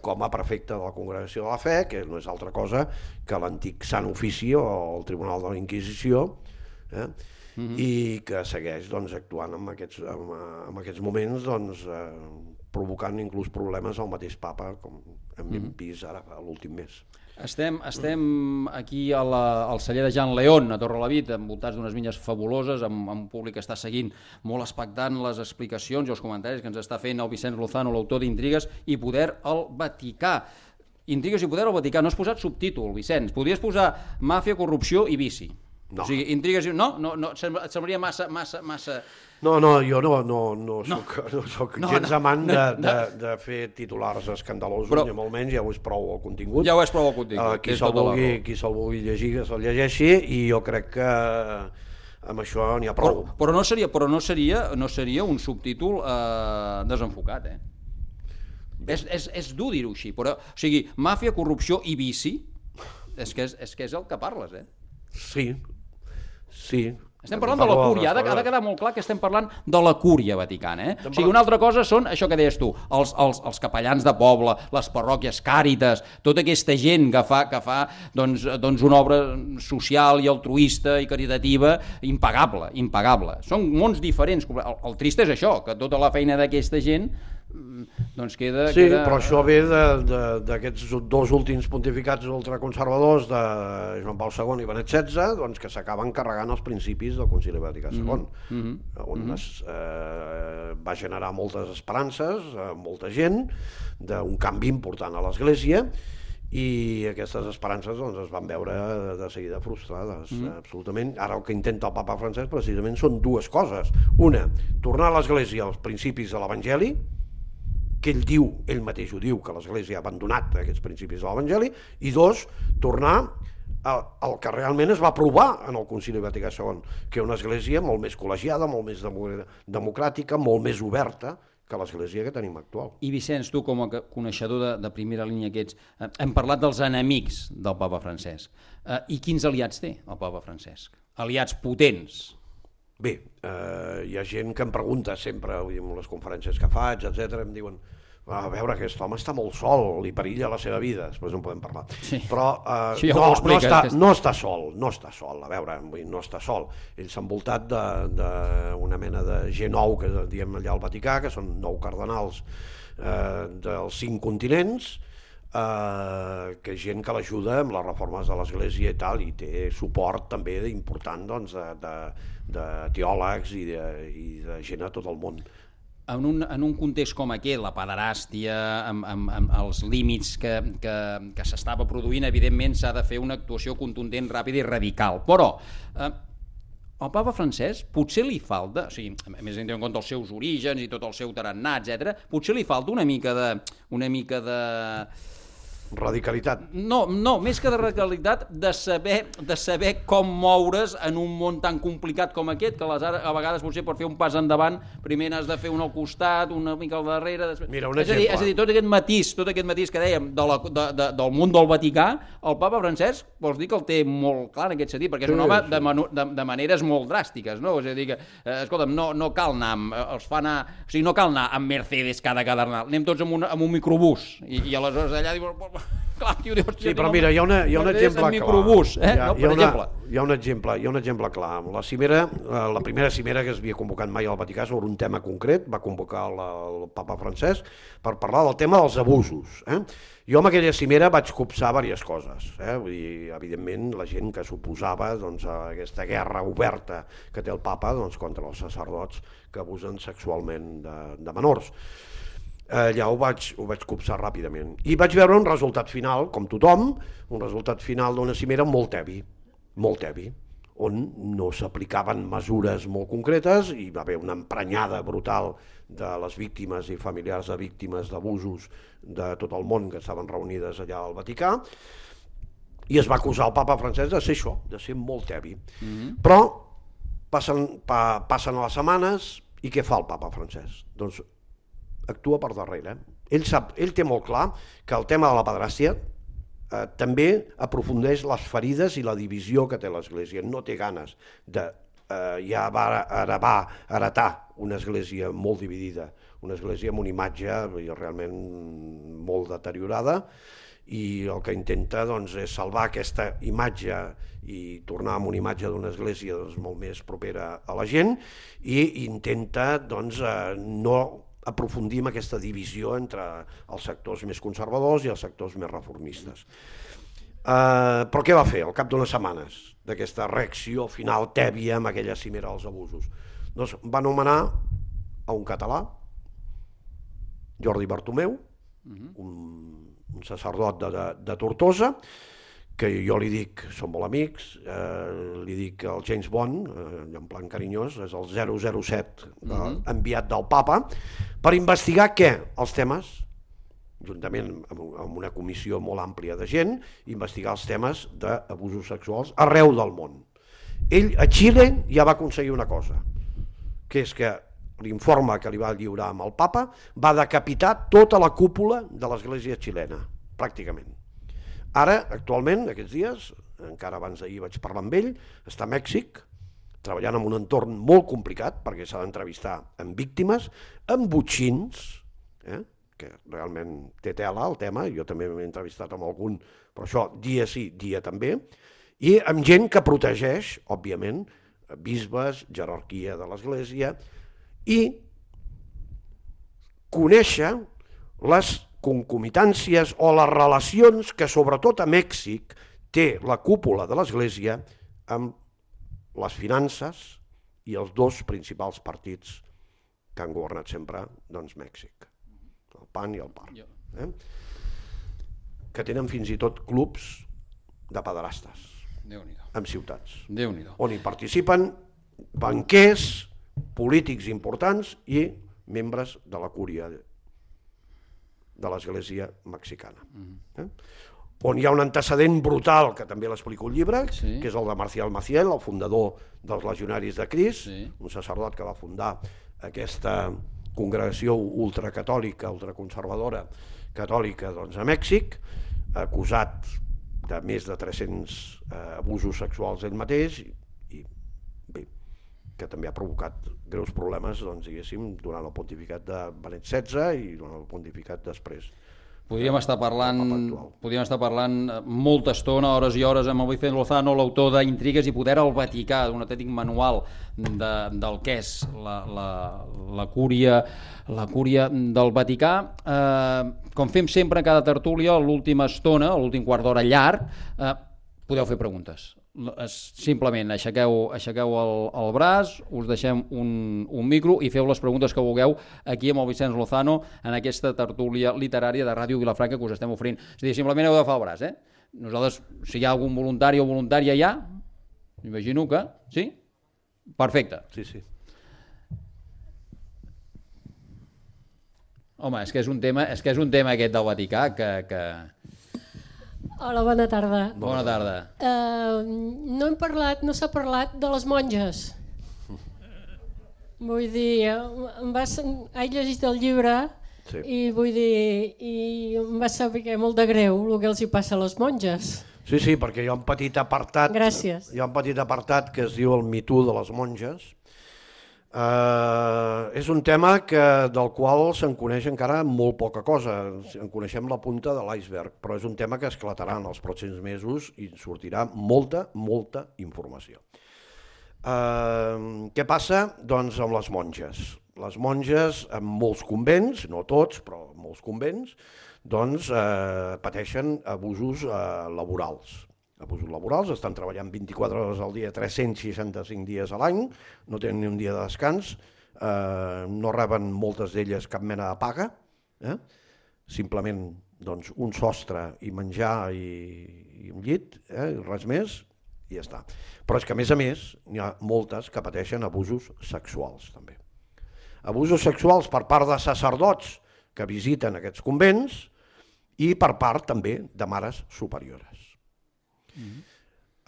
com a prefecte de la Congregació de la Fe, que no és altra cosa que l'antic Sant Ofici o el Tribunal de la Inquisició, i que segueix actuant en aquests moments, provocant inclús problemes al mateix papa, com hem vist ara l'últim mes. Estem aquí al celler de Jan León, a Torrelavit, envoltats d'unes vinyes fabuloses, amb un públic que està seguint molt expectant les explicacions i els comentaris que ens està fent el Vicenç Lozano, l'autor d'Intrigues i Poder al Vaticà. Intrigues i Poder al Vaticà, no has posat subtítol, Vicenç, podries posar Màfia, corrupció i vici. No. O sigui, intrigues... No, et semblaria massa... No, jo no soc gens amant de fer titulars escandalosos, ni molt menys, ja ho és prou el contingut. Ja ho és prou el contingut. Qui se'l vulgui llegir, que se'l llegeixi, i jo crec que amb això n'hi ha prou. Però no seria un subtítol desenfocat, eh? És dur dir-ho així, però, o sigui, màfia, corrupció i vici, és que és el que parles, eh? Sí. Estem parlant de la cúria, ha de quedar molt clar que estem parlant de la cúria vaticana, eh? O sigui, una altra cosa són, això que deies tu, els capellans de poble, les parròquies, càritas, tota aquesta gent que fa una obra social i altruista i caritativa impagable. Són mons diferents. El trist és això, que tota la feina d'aquesta gent queda... Sí, però això ve d'aquests dos últims pontificats ultraconservadors de Joan Pau II i Benet XVI, que s'acaben carregant els principis del Concili Vaticà II, on va generar moltes esperances a molta gent d'un canvi important a l'Església, i aquestes esperances es van veure de seguida frustrades, absolutament. Ara el que intenta el papa Francesc precisament són dues coses. Una, tornar a l'Església als principis de l'Evangeli, que ell mateix ho diu, que l'Església ha abandonat aquests principis de l'Evangeli, i dos, tornar al que realment es va provar en el Concili Vaticà II, que una Església molt més col·legiada, molt més democràtica, molt més oberta que l'Església que tenim actual. I Vicenç, tu com a coneixedor de primera línia que ets, hem parlat dels enemics del papa Francesc. I quins aliats té el papa Francesc? Aliats potents? Bé, hi ha gent que em pregunta sempre, en les conferències que faig, etc, em diuen, a veure, aquest home està molt sol, li perilla la seva vida, després en podem parlar. Sí. Però no està sol, a veure, no està sol. Ell s'ha envoltat d'una mena de G9, que diem allà al Vaticà, que són 9 cardenals dels 5 continents, que és gent que l'ajuda amb les reformes de l'Església i tal, i té suport també important de teòlegs i de gent a tot el món. En un context com aquest, la pederàstia, amb els límits que s'estava produint, evidentment s'ha de fer una actuació contundent, ràpida i radical. Però al papa Francesc potser li falta, o sigui, a més tenint en compte els seus orígens i tot el seu tarannà, etc., potser li falta una mica de Radicalitat. No, més que de radicalitat, de saber com moure's en un món tan complicat com aquest, que a vegades potser per fer un pas endavant primer has de fer un al costat, una mica al darrere... Mira, un exemple. És a dir, tot aquest matís que dèiem del món del Vaticà, el papa Francesc vols dir que el té molt clar en aquest sentit, perquè és un home de maneres molt dràstiques, no? És a dir que, escolta'm, no cal anar no cal anar amb Mercedes cada carnal, anem tots amb un microbús, i aleshores allà dius... Clar, tio, sí, però mira, hi ha un exemple clar. Hi ha un exemple clar. La cimera, la primera cimera que es havia convocat mai al Vaticà sobre un tema concret, va convocar el papa Francesc per parlar del tema dels abusos. Jo amb aquella cimera vaig copsar diverses coses. Vull dir, evidentment, la gent que s'oposava a aquesta guerra oberta que té el papa contra els sacerdots que abusen sexualment de menors. Allà ho vaig copsar ràpidament i vaig veure un resultat final, com tothom, un resultat final d'una cimera molt heavy, on no s'aplicaven mesures molt concretes i va haver una emprenyada brutal de les víctimes i familiars de víctimes d'abusos de tot el món que estaven reunides allà al Vaticà, i es va acusar el papa Francesc de ser això, de ser molt heavy. Però passen les setmanes i què fa el papa Francesc? Doncs actua per darrere. Ell té molt clar que el tema de la pedràstia també aprofundeix les ferides i la divisió que té l'Església. No té ganes de... ja va heretar una església molt dividida, una església amb una imatge realment molt deteriorada, i el que intenta és salvar aquesta imatge i tornar amb una imatge d'una església molt més propera a la gent, i intenta no aprofundir en aquesta divisió entre els sectors més conservadors i els sectors més reformistes. Però què va fer al cap d'unes setmanes d'aquesta reacció final tèbia amb aquella cimera dels abusos? Doncs va nomenar a un català, Jordi Bartomeu, un sacerdot de Tortosa, que jo li dic, som molt amics, li dic el James Bond, en plan carinyós, és el 007 enviat del papa, per investigar què? Els temes, juntament amb una comissió molt àmplia de gent, investigar els temes d'abusos sexuals arreu del món. Ell a Xile ja va aconseguir una cosa, que és que l'informe que li va lliurar amb el papa va decapitar tota la cúpula de l'església xilena, pràcticament. Ara, actualment, aquests dies, encara abans d'ahir vaig parlar amb ell, està a Mèxic, treballant en un entorn molt complicat, perquè s'ha d'entrevistar amb víctimes, amb botxins, que realment té tela el tema, jo també m'he entrevistat amb algun, però això dia sí, dia també, i amb gent que protegeix, òbviament, bisbes, jerarquia de l'Església, i conèixer les concomitàncies o les relacions que sobretot a Mèxic té la cúpula de l'Església amb les finances i els dos principals partits que han governat sempre Mèxic, el PAN i el PAR, que tenen fins i tot clubs de pederastes en ciutats, on hi participen banquers, polítics importants i membres de la cúria de l'Església mexicana. On hi ha un antecedent brutal, que també l'explico al llibre, que és el de Marcial Maciel, el fundador dels Legionaris de Crist, un sacerdot que va fundar aquesta congregació ultracatòlica, ultraconservadora catòlica a Mèxic, acusat de més de 300 abusos sexuals ell mateix, i bé, que també ha provocat greus problemes, diguéssim, durant el pontificat de Benet XVI i durant el pontificat després. Podríem estar parlant molta estona, hores i hores, amb el Vicente Lozano, l'autor d'Intrigues i poder al Vaticà, d'un autèntic manual del que és la cúria del Vaticà. Com fem sempre en cada tertúlia, a l'última estona, a l'últim quart d'hora llarg, podeu fer preguntes. Simplement aixequeu el braç, us deixem un micro i feu les preguntes que vulgueu aquí amb el Vicenç Lozano en aquesta tertúlia literària de Ràdio Vilafranca que us estem oferint. És a dir, simplement heu d'agafar el braç. Nosaltres, si hi ha algun voluntari o voluntària ja, imagino que... Sí? Perfecte. Sí. Home, és que és un tema aquest del Vaticà que Hola, bona tarda. Bona tarda. No s'ha parlat de les monges. Vull dir, he llegit el llibre i vull dir, em va saber molt de greu el que els hi passa a les monges. Sí, perquè hi ha un petit apartat. Gràcies. Hi ha un petit apartat que es diu el Me Too de les monges. És un tema del qual se'n coneix encara molt poca cosa, en coneixem la punta de l'iceberg, però és un tema que esclatarà en els pròxims mesos i sortirà molta informació. Què passa? Doncs amb les monges. Les monges en molts convents, no tots, però en molts convents, doncs pateixen abusos laborals. Abusos laborals, estan treballant 24 hores al dia, 365 dies a l'any, no tenen ni un dia de descans, no reben moltes d'elles cap mena de paga, simplement doncs, un sostre i menjar i un llit, res més, i ja està. Però és que a més n'hi ha moltes que pateixen abusos sexuals també. Abusos sexuals per part de sacerdots que visiten aquests convents i per part també de mares superiores.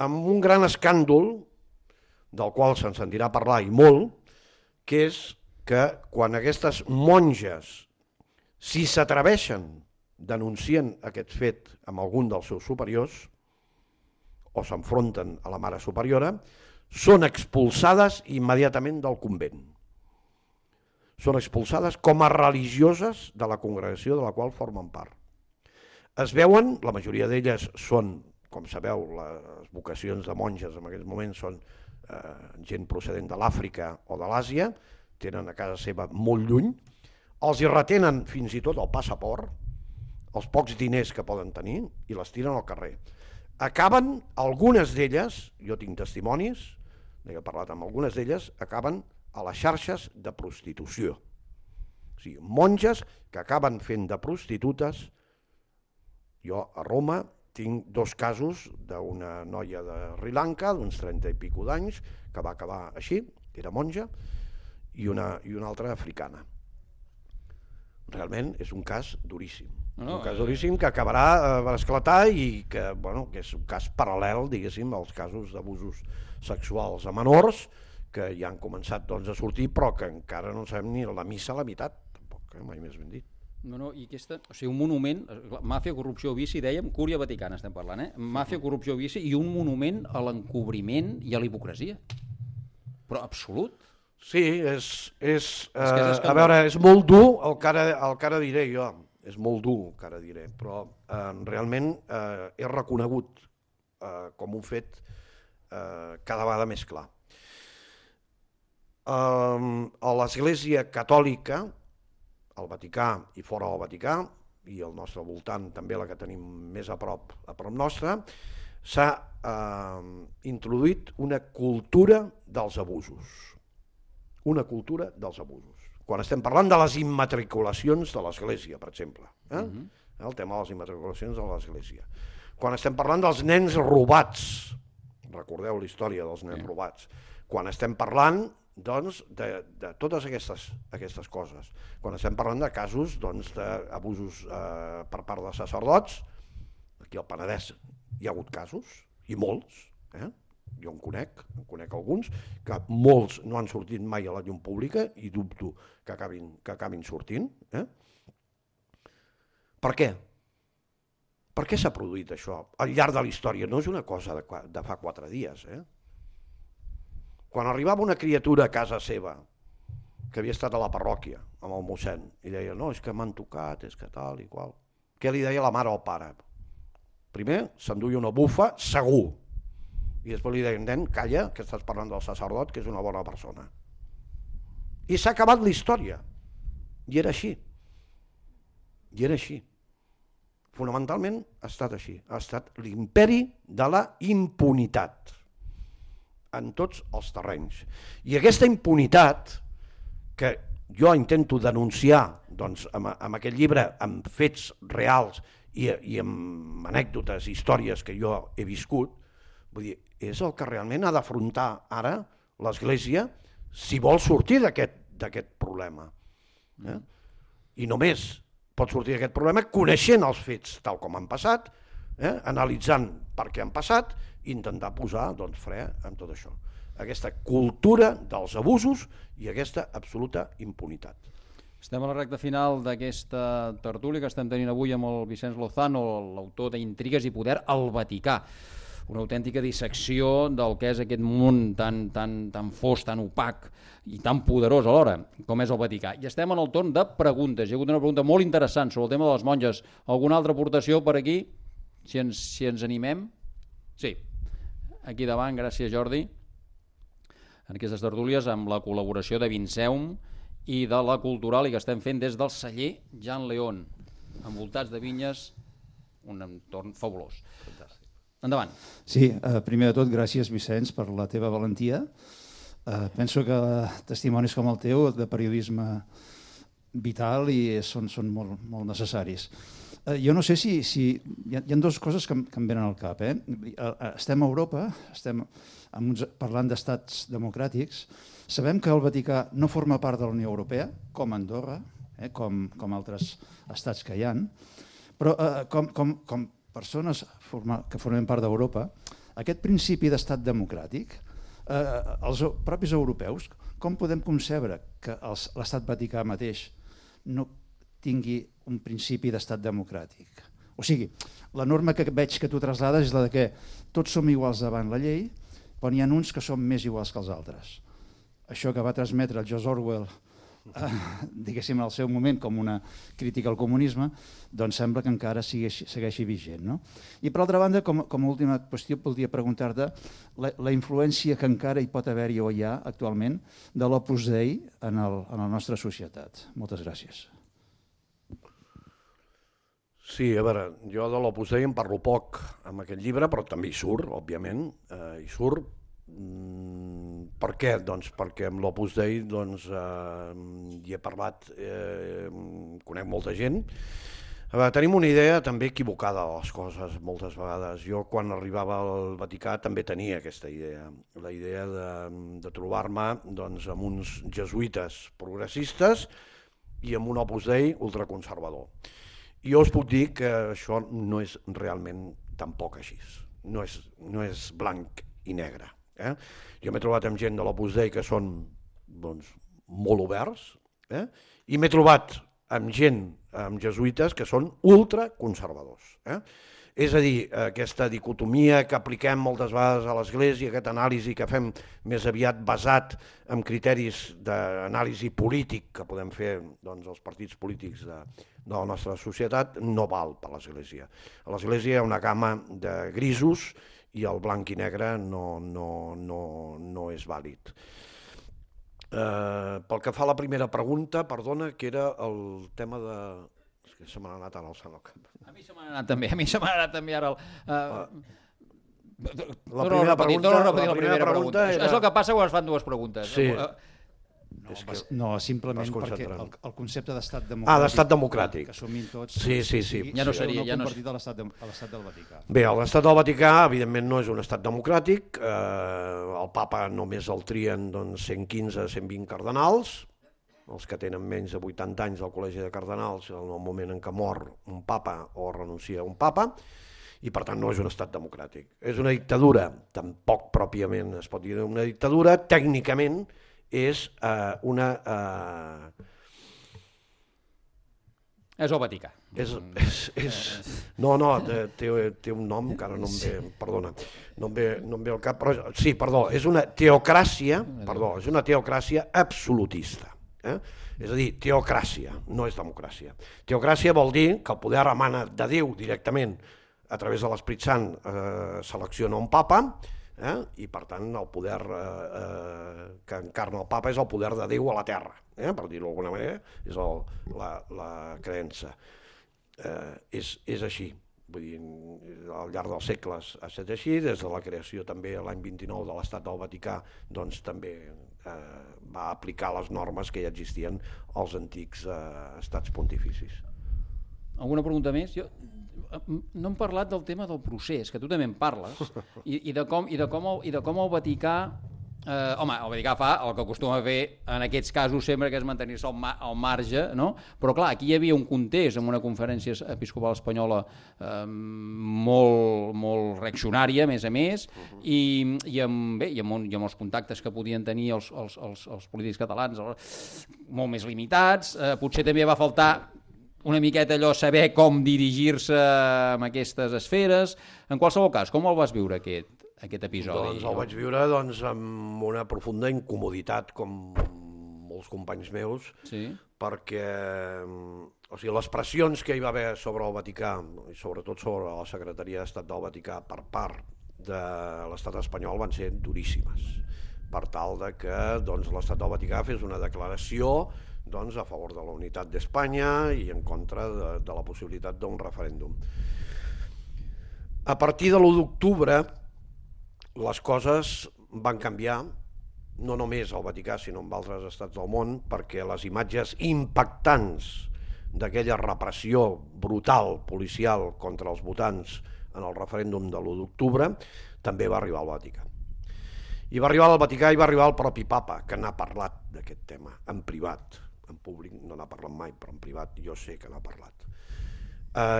Amb un gran escàndol, del qual se'n sentirà parlar i molt, que és que quan aquestes monges, si s'atreveixen, denuncien aquest fet amb algun dels seus superiors, o s'enfronten a la mare superiora, són expulsades immediatament del convent. Són expulsades com a religioses de la congregació de la qual formen part. Es veuen, la majoria d'elles són, com sabeu, les vocacions de monges en aquests moments són gent procedent de l'Àfrica o de l'Àsia, tenen a casa seva molt lluny, els hi retenen fins i tot el passaport, els pocs diners que poden tenir, i les tiren al carrer. Acaben, algunes d'elles, jo tinc testimonis, he parlat amb algunes d'elles, acaben a les xarxes de prostitució. O sigui, monges que acaben fent de prostitutes. Jo a Roma tinc 2 casos d'una noia de Sri Lanka, d'uns 30 i pico d'anys, que va acabar així, que era monja, i una altra africana. Realment és un cas duríssim. Un cas duríssim que acabarà per esclatar i que és un cas paral·lel, diguéssim, als casos d'abusos sexuals a menors, que ja han començat a sortir, però que encara no sabem ni la missa a la meitat, tampoc, mai més ben dit. I aquesta, o sigui, un monument, màfia, corrupció, vici, dèiem, Cúria Vaticana estem parlant, màfia, corrupció, vici i un monument a l'encobriment i a la hipocresia. Però absolut. Sí, a veure, és molt dur el que ara diré jo, és molt dur el que ara diré, però realment és reconegut com un fet cada vegada més clar. A l'Església Catòlica, al Vaticà i fora del Vaticà, i al nostre voltant també la que tenim més a prop nostre, s'ha introduït una cultura dels abusos. Una cultura dels abusos. Quan estem parlant de les immatriculacions de l'Església, per exemple, el tema de les immatriculacions de l'Església. Quan estem parlant dels nens robats, recordeu la història dels nens robats, quan estem parlant doncs, de totes aquestes coses, quan estem parlant de casos d'abusos per part de sacerdots, aquí al Penedès hi ha hagut casos, i molts, jo en conec alguns, que molts no han sortit mai a la llum pública i dubto que acabin sortint. Per què? Per què s'ha produït això al llarg de la història? No és una cosa de fa 4 dies. Quan arribava una criatura a casa seva, que havia estat a la parròquia amb el mossèn, i deia, no, és que m'han tocat, és que tal i qual. Què li deia la mare o el pare? Primer s'enduia una bufa, segur, i després li deien, nen, calla, que estàs parlant del sacerdot, que és una bona persona. I s'ha acabat la història. I era així. Fonamentalment ha estat així. Ha estat l'imperi de la impunitat en tots els terrenys. I aquesta impunitat, que jo intento denunciar amb aquest llibre, amb fets reals i amb anècdotes, històries que jo he viscut, vull dir, és el que realment ha d'afrontar ara l'Església si vol sortir d'aquest problema. I només pot sortir d'aquest problema coneixent els fets tal com han passat, analitzant per què han passat i intentar posar fre amb tot això. Aquesta cultura dels abusos i aquesta absoluta impunitat. Estem a la recta final d'aquesta tertúlia que estem tenint avui amb el Vicenç Lozano, l'autor d'Intrigues i poder al Vaticà. Una autèntica dissecció del que és aquest món tan fos, tan opac i tan poderós alhora, com és el Vaticà. I estem en el torn de preguntes. Hi ha hagut una pregunta molt interessant sobre el tema de les monges. Alguna altra aportació per aquí? Si ens animem? Sí. Aquí davant, gràcies Jordi. En aquestes tertúlies amb la col·laboració de Vinceum i de la Cultural i que estem fent des del celler Jan León, envoltats de vinyes, un entorn fabulós. Fantàstic. Endavant. Sí, primer de tot, gràcies Vicenç per la teva valentia. Penso que testimonis com el teu de periodisme vital i són molt, molt necessaris. Jo no sé si hi ha dues coses que em venen al cap. Estem a Europa, estem parlant d'estats democràtics, sabem que el Vaticà no forma part de la Unió Europea, com Andorra, com altres estats que hi ha, però com persones que formen part d'Europa, aquest principi d'estat democràtic, els propis europeus, com podem concebre que l'estat Vaticà mateix no tingui un principi d'estat democràtic? O sigui, la norma que veig que tu traslades és la de que tots som iguals davant la llei, però n'hi ha uns que són més iguals que els altres. Això que va transmetre el George Orwell, diguéssim, al seu moment com una crítica al comunisme, doncs sembla que encara segueixi vigent. No? I per altra banda, com a última qüestió, voldria preguntar-te la influència que encara hi pot haver-hi o hi ha actualment de l'Opus Dei en la nostra societat. Moltes gràcies. Sí, a veure, jo de l'Opus Dei en parlo poc amb aquest llibre, però també hi surt, òbviament, hi surt. Per què? Doncs perquè amb l'Opus Dei hi he parlat, conec molta gent. Tenim una idea també equivocada de les coses moltes vegades. Jo quan arribava al Vaticà també tenia aquesta idea, la idea de trobar-me amb uns jesuïtes progressistes i amb un Opus Dei ultraconservador. I jo us puc dir que això no és realment tampoc així, no és blanc i negre. Jo m'he trobat amb gent de l'Opus Dei que són molt oberts i m'he trobat amb gent, amb jesuïtes que són ultraconservadors. És a dir, aquesta dicotomia que apliquem moltes vegades a l'Església, aquest anàlisi que fem més aviat basat en criteris d'anàlisi polític que podem fer els partits polítics de la nostra societat, no val per a l'Església. A l'Església hi ha una gamma de grisos i el blanc i negre no és vàlid. Pel que fa a la primera pregunta, perdona, que era el tema de... És que se m'ha anat ara al sant al cap. A mi se m'ha anat també ara La primera pregunta era... És el que passa quan es fan dues preguntes. Sí. No, simplement perquè el concepte d'estat democràtic... d'estat democràtic. Que assumim tots... Sí. Ja no seria... compartit a l'estat del Vaticà. Bé, l'estat del Vaticà, evidentment, no és un estat democràtic. El papa només el trien 115-120 cardenals, els que tenen menys de 80 anys al Col·legi de Cardenals, en el moment en què mor un papa o renuncia un papa, i per tant no és un estat democràtic. És una dictadura, tampoc pròpiament es pot dir una dictadura, tècnicament és una... És el Vaticà. No, té un nom que ara no em ve, perdona, no em ve al cap, però sí, perdó, és una teocràcia absolutista. És a dir, teocràcia, no és democràcia. Teocràcia vol dir que el poder emana de Déu directament, a través de l'Esperit Sant selecciona un papa, i per tant el poder que encarna el papa és el poder de Déu a la terra, per dir-ho d'alguna manera, és la creença. És així, vull dir, al llarg dels segles ha estat així, des de la creació també l'any 29 de l'Estat del Vaticà, doncs també va aplicar les normes que ja existien als antics estats pontificis. Alguna pregunta més? Jo no hem parlat del tema del procés, que tu també en parles, i de com el Vaticà Home, el Vaticà fa el que acostuma a fer en aquests casos sempre, que és mantenir-se al marge, no? Però clar, aquí hi havia un context amb una conferència episcopal espanyola molt reaccionària, a més, i amb els contactes que podien tenir els polítics catalans molt més limitats. Potser també va faltar una miqueta allò, saber com dirigir-se en aquestes esferes. En qualsevol cas, com el vas viure aquest episodi? Doncs el vaig viure amb una profunda incomoditat, com molts companys meus, perquè les pressions que hi va haver sobre el Vaticà, i sobretot sobre la Secretaria d'Estat del Vaticà per part de l'estat espanyol, van ser duríssimes, per tal de que l'estat del Vaticà fes una declaració a favor de la unitat d'Espanya i en contra de la possibilitat d'un referèndum. A partir de l'1 d'octubre les coses van canviar, no només al Vaticà sinó en altres estats del món, perquè les imatges impactants d'aquella repressió brutal policial contra els votants en el referèndum de l'1 d'octubre també va arribar al Vaticà. I va arribar al Vaticà i va arribar el propi papa, que n'ha parlat d'aquest tema, en privat. En públic no n'ha parlat mai, però en privat jo sé que n'ha parlat.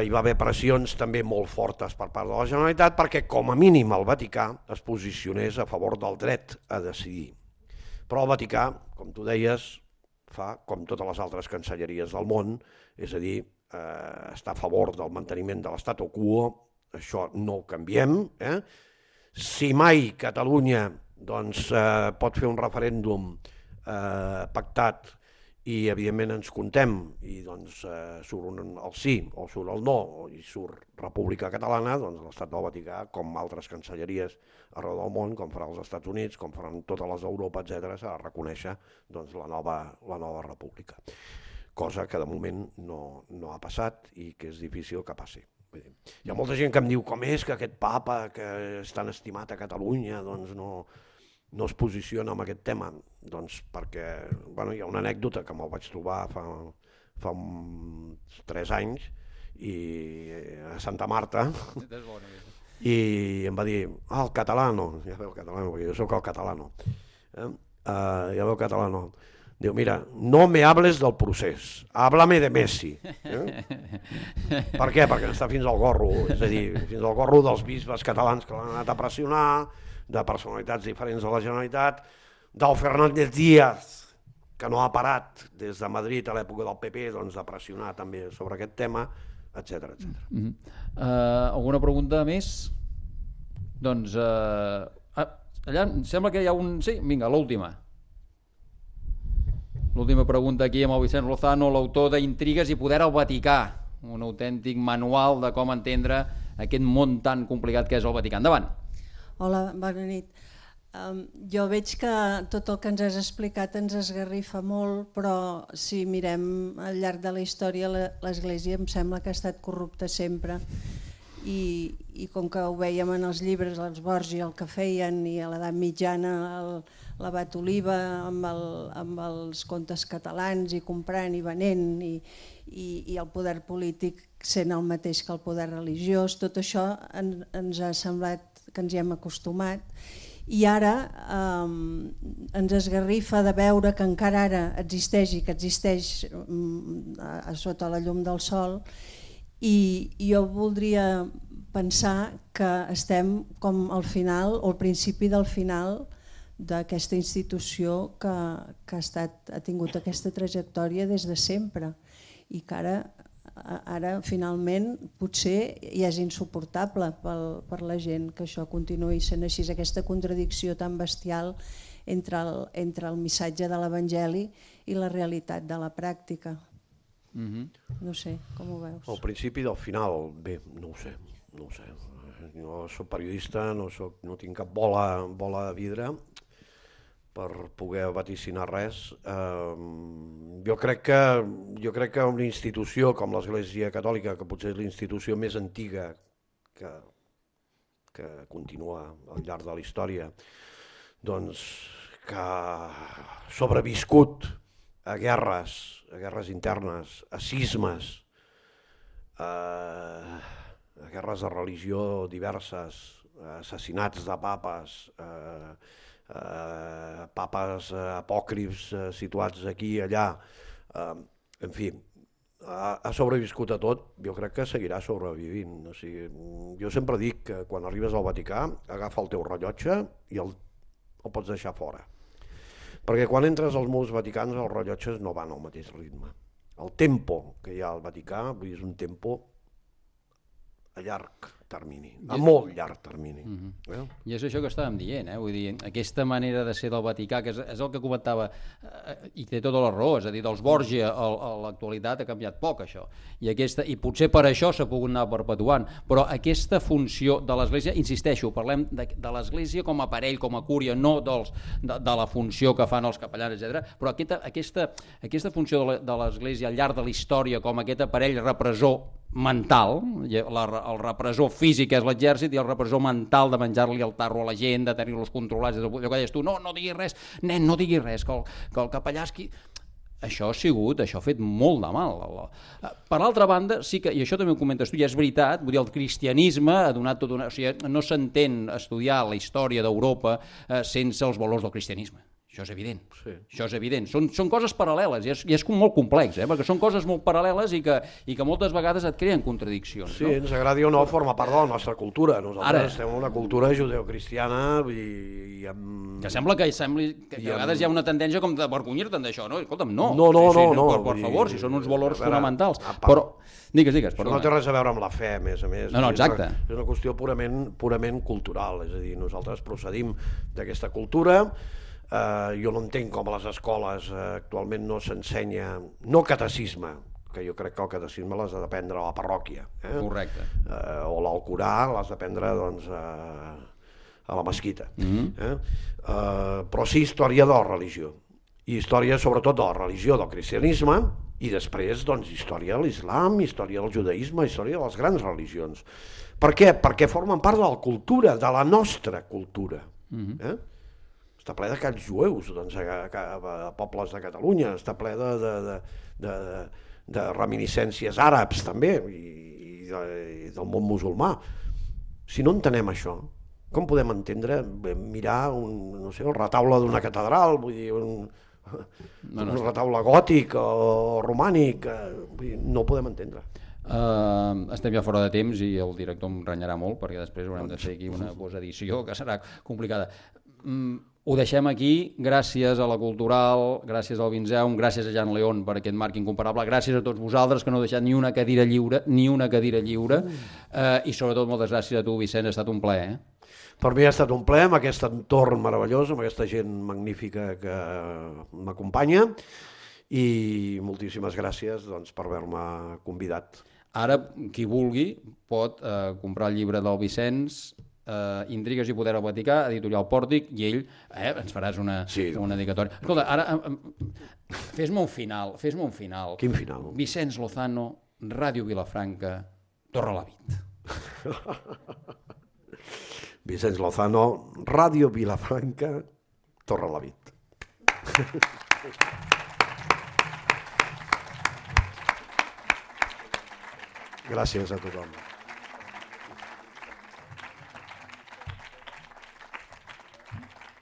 Hi va haver pressions també molt fortes per part de la Generalitat perquè com a mínim el Vaticà es posicionés a favor del dret a decidir. Però el Vaticà, com tu deies, fa com totes les altres cancelleries del món, és a dir, està a favor del manteniment de l'statu quo, això no ho canviem. Si mai Catalunya pot fer un referèndum pactat i evidentment ens comptem i surt el sí o surt el no i surt República Catalana, l'estat del Vaticà, com altres cancelleries arreu del món, com farà els Estats Units, com faran totes les d'Europa, etc., s'ha de reconèixer la nova república. Cosa que de moment no ha passat i que és difícil que passi. Hi ha molta gent que em diu com és que aquest papa que és tan estimat a Catalunya no es posiciona en aquest tema, perquè hi ha una anècdota que me'l vaig trobar fa 3 anys a Santa Marta i em va dir, el catalano, ja veu el catalano, perquè jo soc el catalano, ja veu el catalano, diu, mira, no me hables del procés, háblame de Messi. Per què? Perquè està fins al gorro, és a dir, fins al gorro dels bisbes catalans que l'han anat a pressionar, de personalitats diferents de la Generalitat, del Fernández Díaz, que no ha parat des de Madrid a l'època del PP de pressionar també sobre aquest tema, etc. Alguna pregunta més? Doncs allà em sembla que hi ha un... Sí, vinga, l'última. L'última pregunta aquí amb el Vicent Lozano, l'autor d'Intrigues i poder al Vaticà, un autèntic manual de com entendre aquest món tan complicat que és el Vaticà. Endavant. Hola, bona nit. Jo veig que tot el que ens has explicat ens esgarrifa molt, però si mirem al llarg de la història l'Església em sembla que ha estat corrupta sempre i com que ho veiem en els llibres, els Borgi, el que feien, i a l'edat mitjana l'abat Oliva amb els contes catalans i comprant i venent i el poder polític sent el mateix que el poder religiós, tot això ens ha semblat que ens hi hem acostumat i ara ens esgarrifa de veure que encara ara existeix i que existeix sota la llum del sol i jo voldria pensar que estem com al final o al principi del final d'aquesta institució que ha tingut aquesta trajectòria des de sempre i que ara finalment potser ja és insuportable per la gent que això continuï sent així, aquesta contradicció tan bestial entre el missatge de l'Evangeli i la realitat de la pràctica. No sé, com ho veus? Al principi del final, bé, no ho sé. No soc periodista, no tinc cap bola de vidre per poder vaticinar res. Jo crec que una institució com l'Església Catòlica, que potser és la institució més antiga que continua al llarg de la història, doncs que ha sobreviscut a guerres internes, a cismes, a guerres de religió diverses, assassinats de papes, papes apòcrifs situats aquí i allà, en fi, ha sobreviscut a tot, jo crec que seguirà sobrevivint. O sigui, jo sempre dic que quan arribes al Vaticà, agafa el teu rellotge i el pots deixar fora. Perquè quan entres als murs vaticans els rellotges no van al mateix ritme. El tempo que hi ha al Vaticà és un tempo a llarg termini, a molt llarg termini. I és això que estàvem dient, vull dir, aquesta manera de ser del Vaticà, que és el que comentava, i té tota la raó, és a dir, dels Borgia a l'actualitat ha canviat poc això, i potser per això s'ha pogut anar perpetuant, però aquesta funció de l'Església, insisteixo, parlem de l'Església com a aparell, com a cúria, no de la funció que fan els capellans, etc. Però aquesta funció de l'Església al llarg de la història com aquest aparell repressor mental, el repressor físic és l'exèrcit i el repressor mental de menjar-li el tarro a la gent, de tenir-los controlats, allò que deies tu, no diguis res, nen, no diguis res, que el capellà és qui... Això ha fet molt de mal. Per altra banda, sí que, i això també ho comentes tu, i és veritat, vull dir, el cristianisme ha donat tot una... O sigui, no s'entén estudiar la història d'Europa sense els valors del cristianisme. Això és evident. Sí. Això és evident. Són coses paral·leles i és molt complex, perquè són coses molt paral·leles i que moltes vegades et creen contradiccions. Sí, ens agradi o no, forma part de la nostra cultura. Nosaltres estem en una cultura judeocristiana i que sembla que a vegades hi ha una tendència com de vergonyir-te'n d'això, no? Escolta'm, no. No. Per favor, si són uns valors fonamentals. Però, digues, perdona. No té res a veure amb la fe, a més. No, exacte. És una qüestió purament cultural, és a dir, nosaltres procedim d'aquesta cultura. Jo no entenc com a les escoles actualment no s'ensenya, no catecisme, que jo crec que el catecisme l'has d'aprendre a la parròquia. Correcte. O l'Alcorà l'has d'aprendre a la mesquita. Però sí història de la religió. I història sobretot de la religió, del cristianisme, i després història de l'islam, història del judaïsme, història de les grans religions. Per què? Perquè formen part de la cultura, de la nostra cultura. Està ple de cants jueus a pobles de Catalunya, està ple de reminiscències àrabs també i del món musulmà. Si no entenem això, com podem entendre mirar el retaule d'una catedral, vull dir, un retaule gòtic o romànic, no ho podem entendre. Estem ja fora de temps i el director em renyarà molt perquè després haurem de fer aquí una posedició que serà complicada. Ho deixem aquí, gràcies a la Cultural, gràcies al Vinzeum, gràcies a Jan León per aquest marc incomparable, gràcies a tots vosaltres que no heu deixat ni una cadira lliure, i sobretot moltes gràcies a tu, Vicent, ha estat un plaer. Per mi ha estat un plaer, amb aquest entorn meravellós, amb aquesta gent magnífica que m'acompanya, i moltíssimes gràcies per haver-me convidat. Ara, qui vulgui, pot comprar el llibre del Vicenç, Intrigues i poder al Vaticà, editorial Pòrtic, i ell ens faràs una dedicatòria. Escolta, ara fes-me un final. Quin final? Vicenç Lozano, Ràdio Vilafranca, Torrelavit. Vicenç Lozano, Ràdio Vilafranca, Torrelavit. Gràcies a tothom.